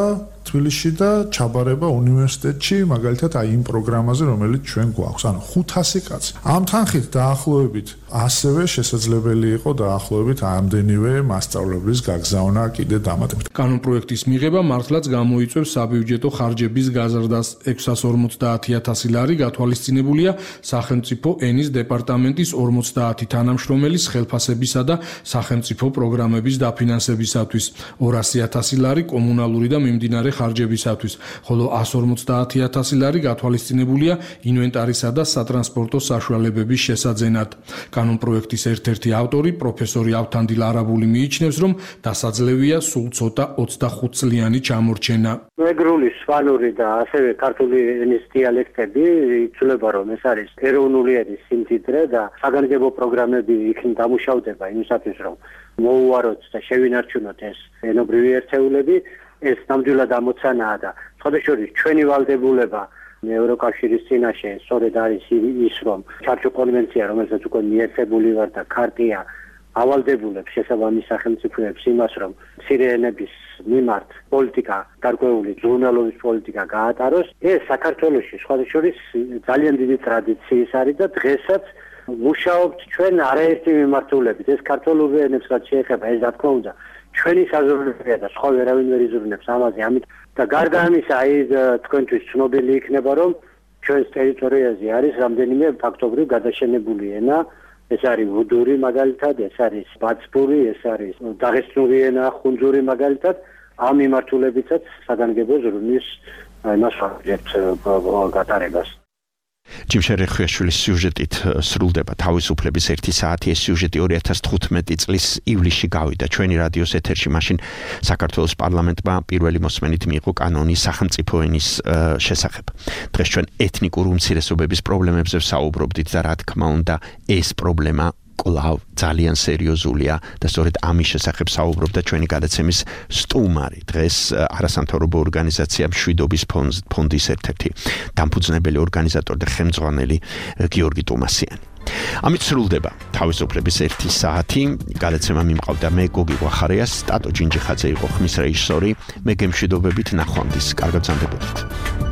T: თბილისში და ჩაბარება უნივერსიტეტში, მაგალითად აი იმ პროგრამაზე, რომელიც ჩვენ გვაქვს. ანუ ხუთასი კაცი. ამ თანხით დაახლოებით ასევე შესაძლებელი იყო დაახლოებით ამდენივე მასწავლებლის გაგზავნა კიდე დამატებით.
P: კანონპროექტის მიღება მართლაც გამოიწვევს საბიუჯეტო ხარჯების გაზრდას. ექვსას ორმოცდაათი ათასი ლარი გათვალისწინებულია სახელმწიფო ენის დეპარტამენტის ორმოცდაათი თანამშრომელის ხელფასებისა და სახელმწიფო პროგრამების დაფინანსებისათვის, ორასი ათასი ლარი კომუნალური და მიმდინარე ხარჯებისათვის, ხოლო ასი ორმოცდაათი ათასი ლარი გათვალისწინებულია ინვენტარისა და სატრანსპორტო საშუალებების შესაძენად. კანონპროექტის ერთ-ერთი ავტორი, პროფესორი ავთანდილ არაბული მიიჩნევს, რომ დასაძლევია სულ ცოტა ოცდახუთ წლიანი ჩამორჩენა.
U: მეგრული, სვანური და ასევე ქართული ენის დიალექტები იცვლება, რომ ეს არის ეროვნული ენის სიმდიდრე და საგანგებო პროგრამები იქნ დამუშავდება იმისათვის, რომ მოუაროთ და შევინარჩუნოთ ეს ენობრივი ერთეულები. ეს ნამდვილად ამოცანაა და სხვადასხვა ჩვენი ვალდებულება ევროკავშირის წინაშე სწორედ არის ის, რომ ჩარჩო კონვენცია, რომელსაც უკვე მიერთებული ვარ და ქარტია ავალდებულებს შესაბამის სახელმწიფოებს იმას, რომ მცირე ენების მიმართ პოლიტიკა, გარკვეული ზრუნველობის პოლიტიკა გაატაროს. ეს საქართველოში სხვადასხვა ძალიან დიდი ტრადიციის არის და დღესაც მუშაობთ ჩვენ არაერთი მიმართულებით. ეს ქართულურ ენებს რაც შეეხება, ეს რა თქმა უნდა ჩვენი საზრუნველია და სხვა ვერავინ ვერ იზრუნებს ამაზე. ამით და გარდა ამისა, აი თქვენთვის ცნობილი იქნება, რომ ჩვენს ტერიტორიაზე არის რამდენიმე ფაქტობრივ გადაშენებული ენა. ეს არის ვუდური მაგალითად, ეს არის ბაცბური, ეს არის დაღესტნური ენა, ხუნძური მაგალითად. ამ მიმართულებითაც საგანგებო ზრუნვის იმას ვაჭერთ გატარებას.
F: ჯიმშერ ხვიაშვილის სიუჟეტით სრულდება თავისუფლების ერთი საათი. ეს სიუჟეტი ორი ათას თხუთმეტი წლის ივლისში გავიდა ჩვენი რადიოს ეთერში. მაშინ საქართველოს პარლამენტმა პირველი მოსმენით მიიღო კანონი სახელმწიფო ენის შესახებ. დღეს ჩვენ ეთნიკურ უმცირესობების პრობლემებზე ვსაუბრობდით და რა თქმა უნდა ეს პრობლემა კვლავ ძალიან სერიოზულია და სწორედ ამის შესახებ საუბრობდა ჩვენი გადაცემის სტუმარი. დღეს არასამთავრობო ორგანიზაცია მშვიდობის ფონდის ერთ-ერთი დამფუძნებელი ორგანიზატორი და ხელმძღვანელი გიორგი ტუმასიანი. ამით სრულდება თავისუფლების ერთი საათი. გადაცემა მიმყავდა მე გოგი გვახარია, სტატო ჯინჯიხაძე იყო ხმის რეჟისორი. მე გემშვიდობებით ნახვამდის. კარგად გრძანდებოდეთ.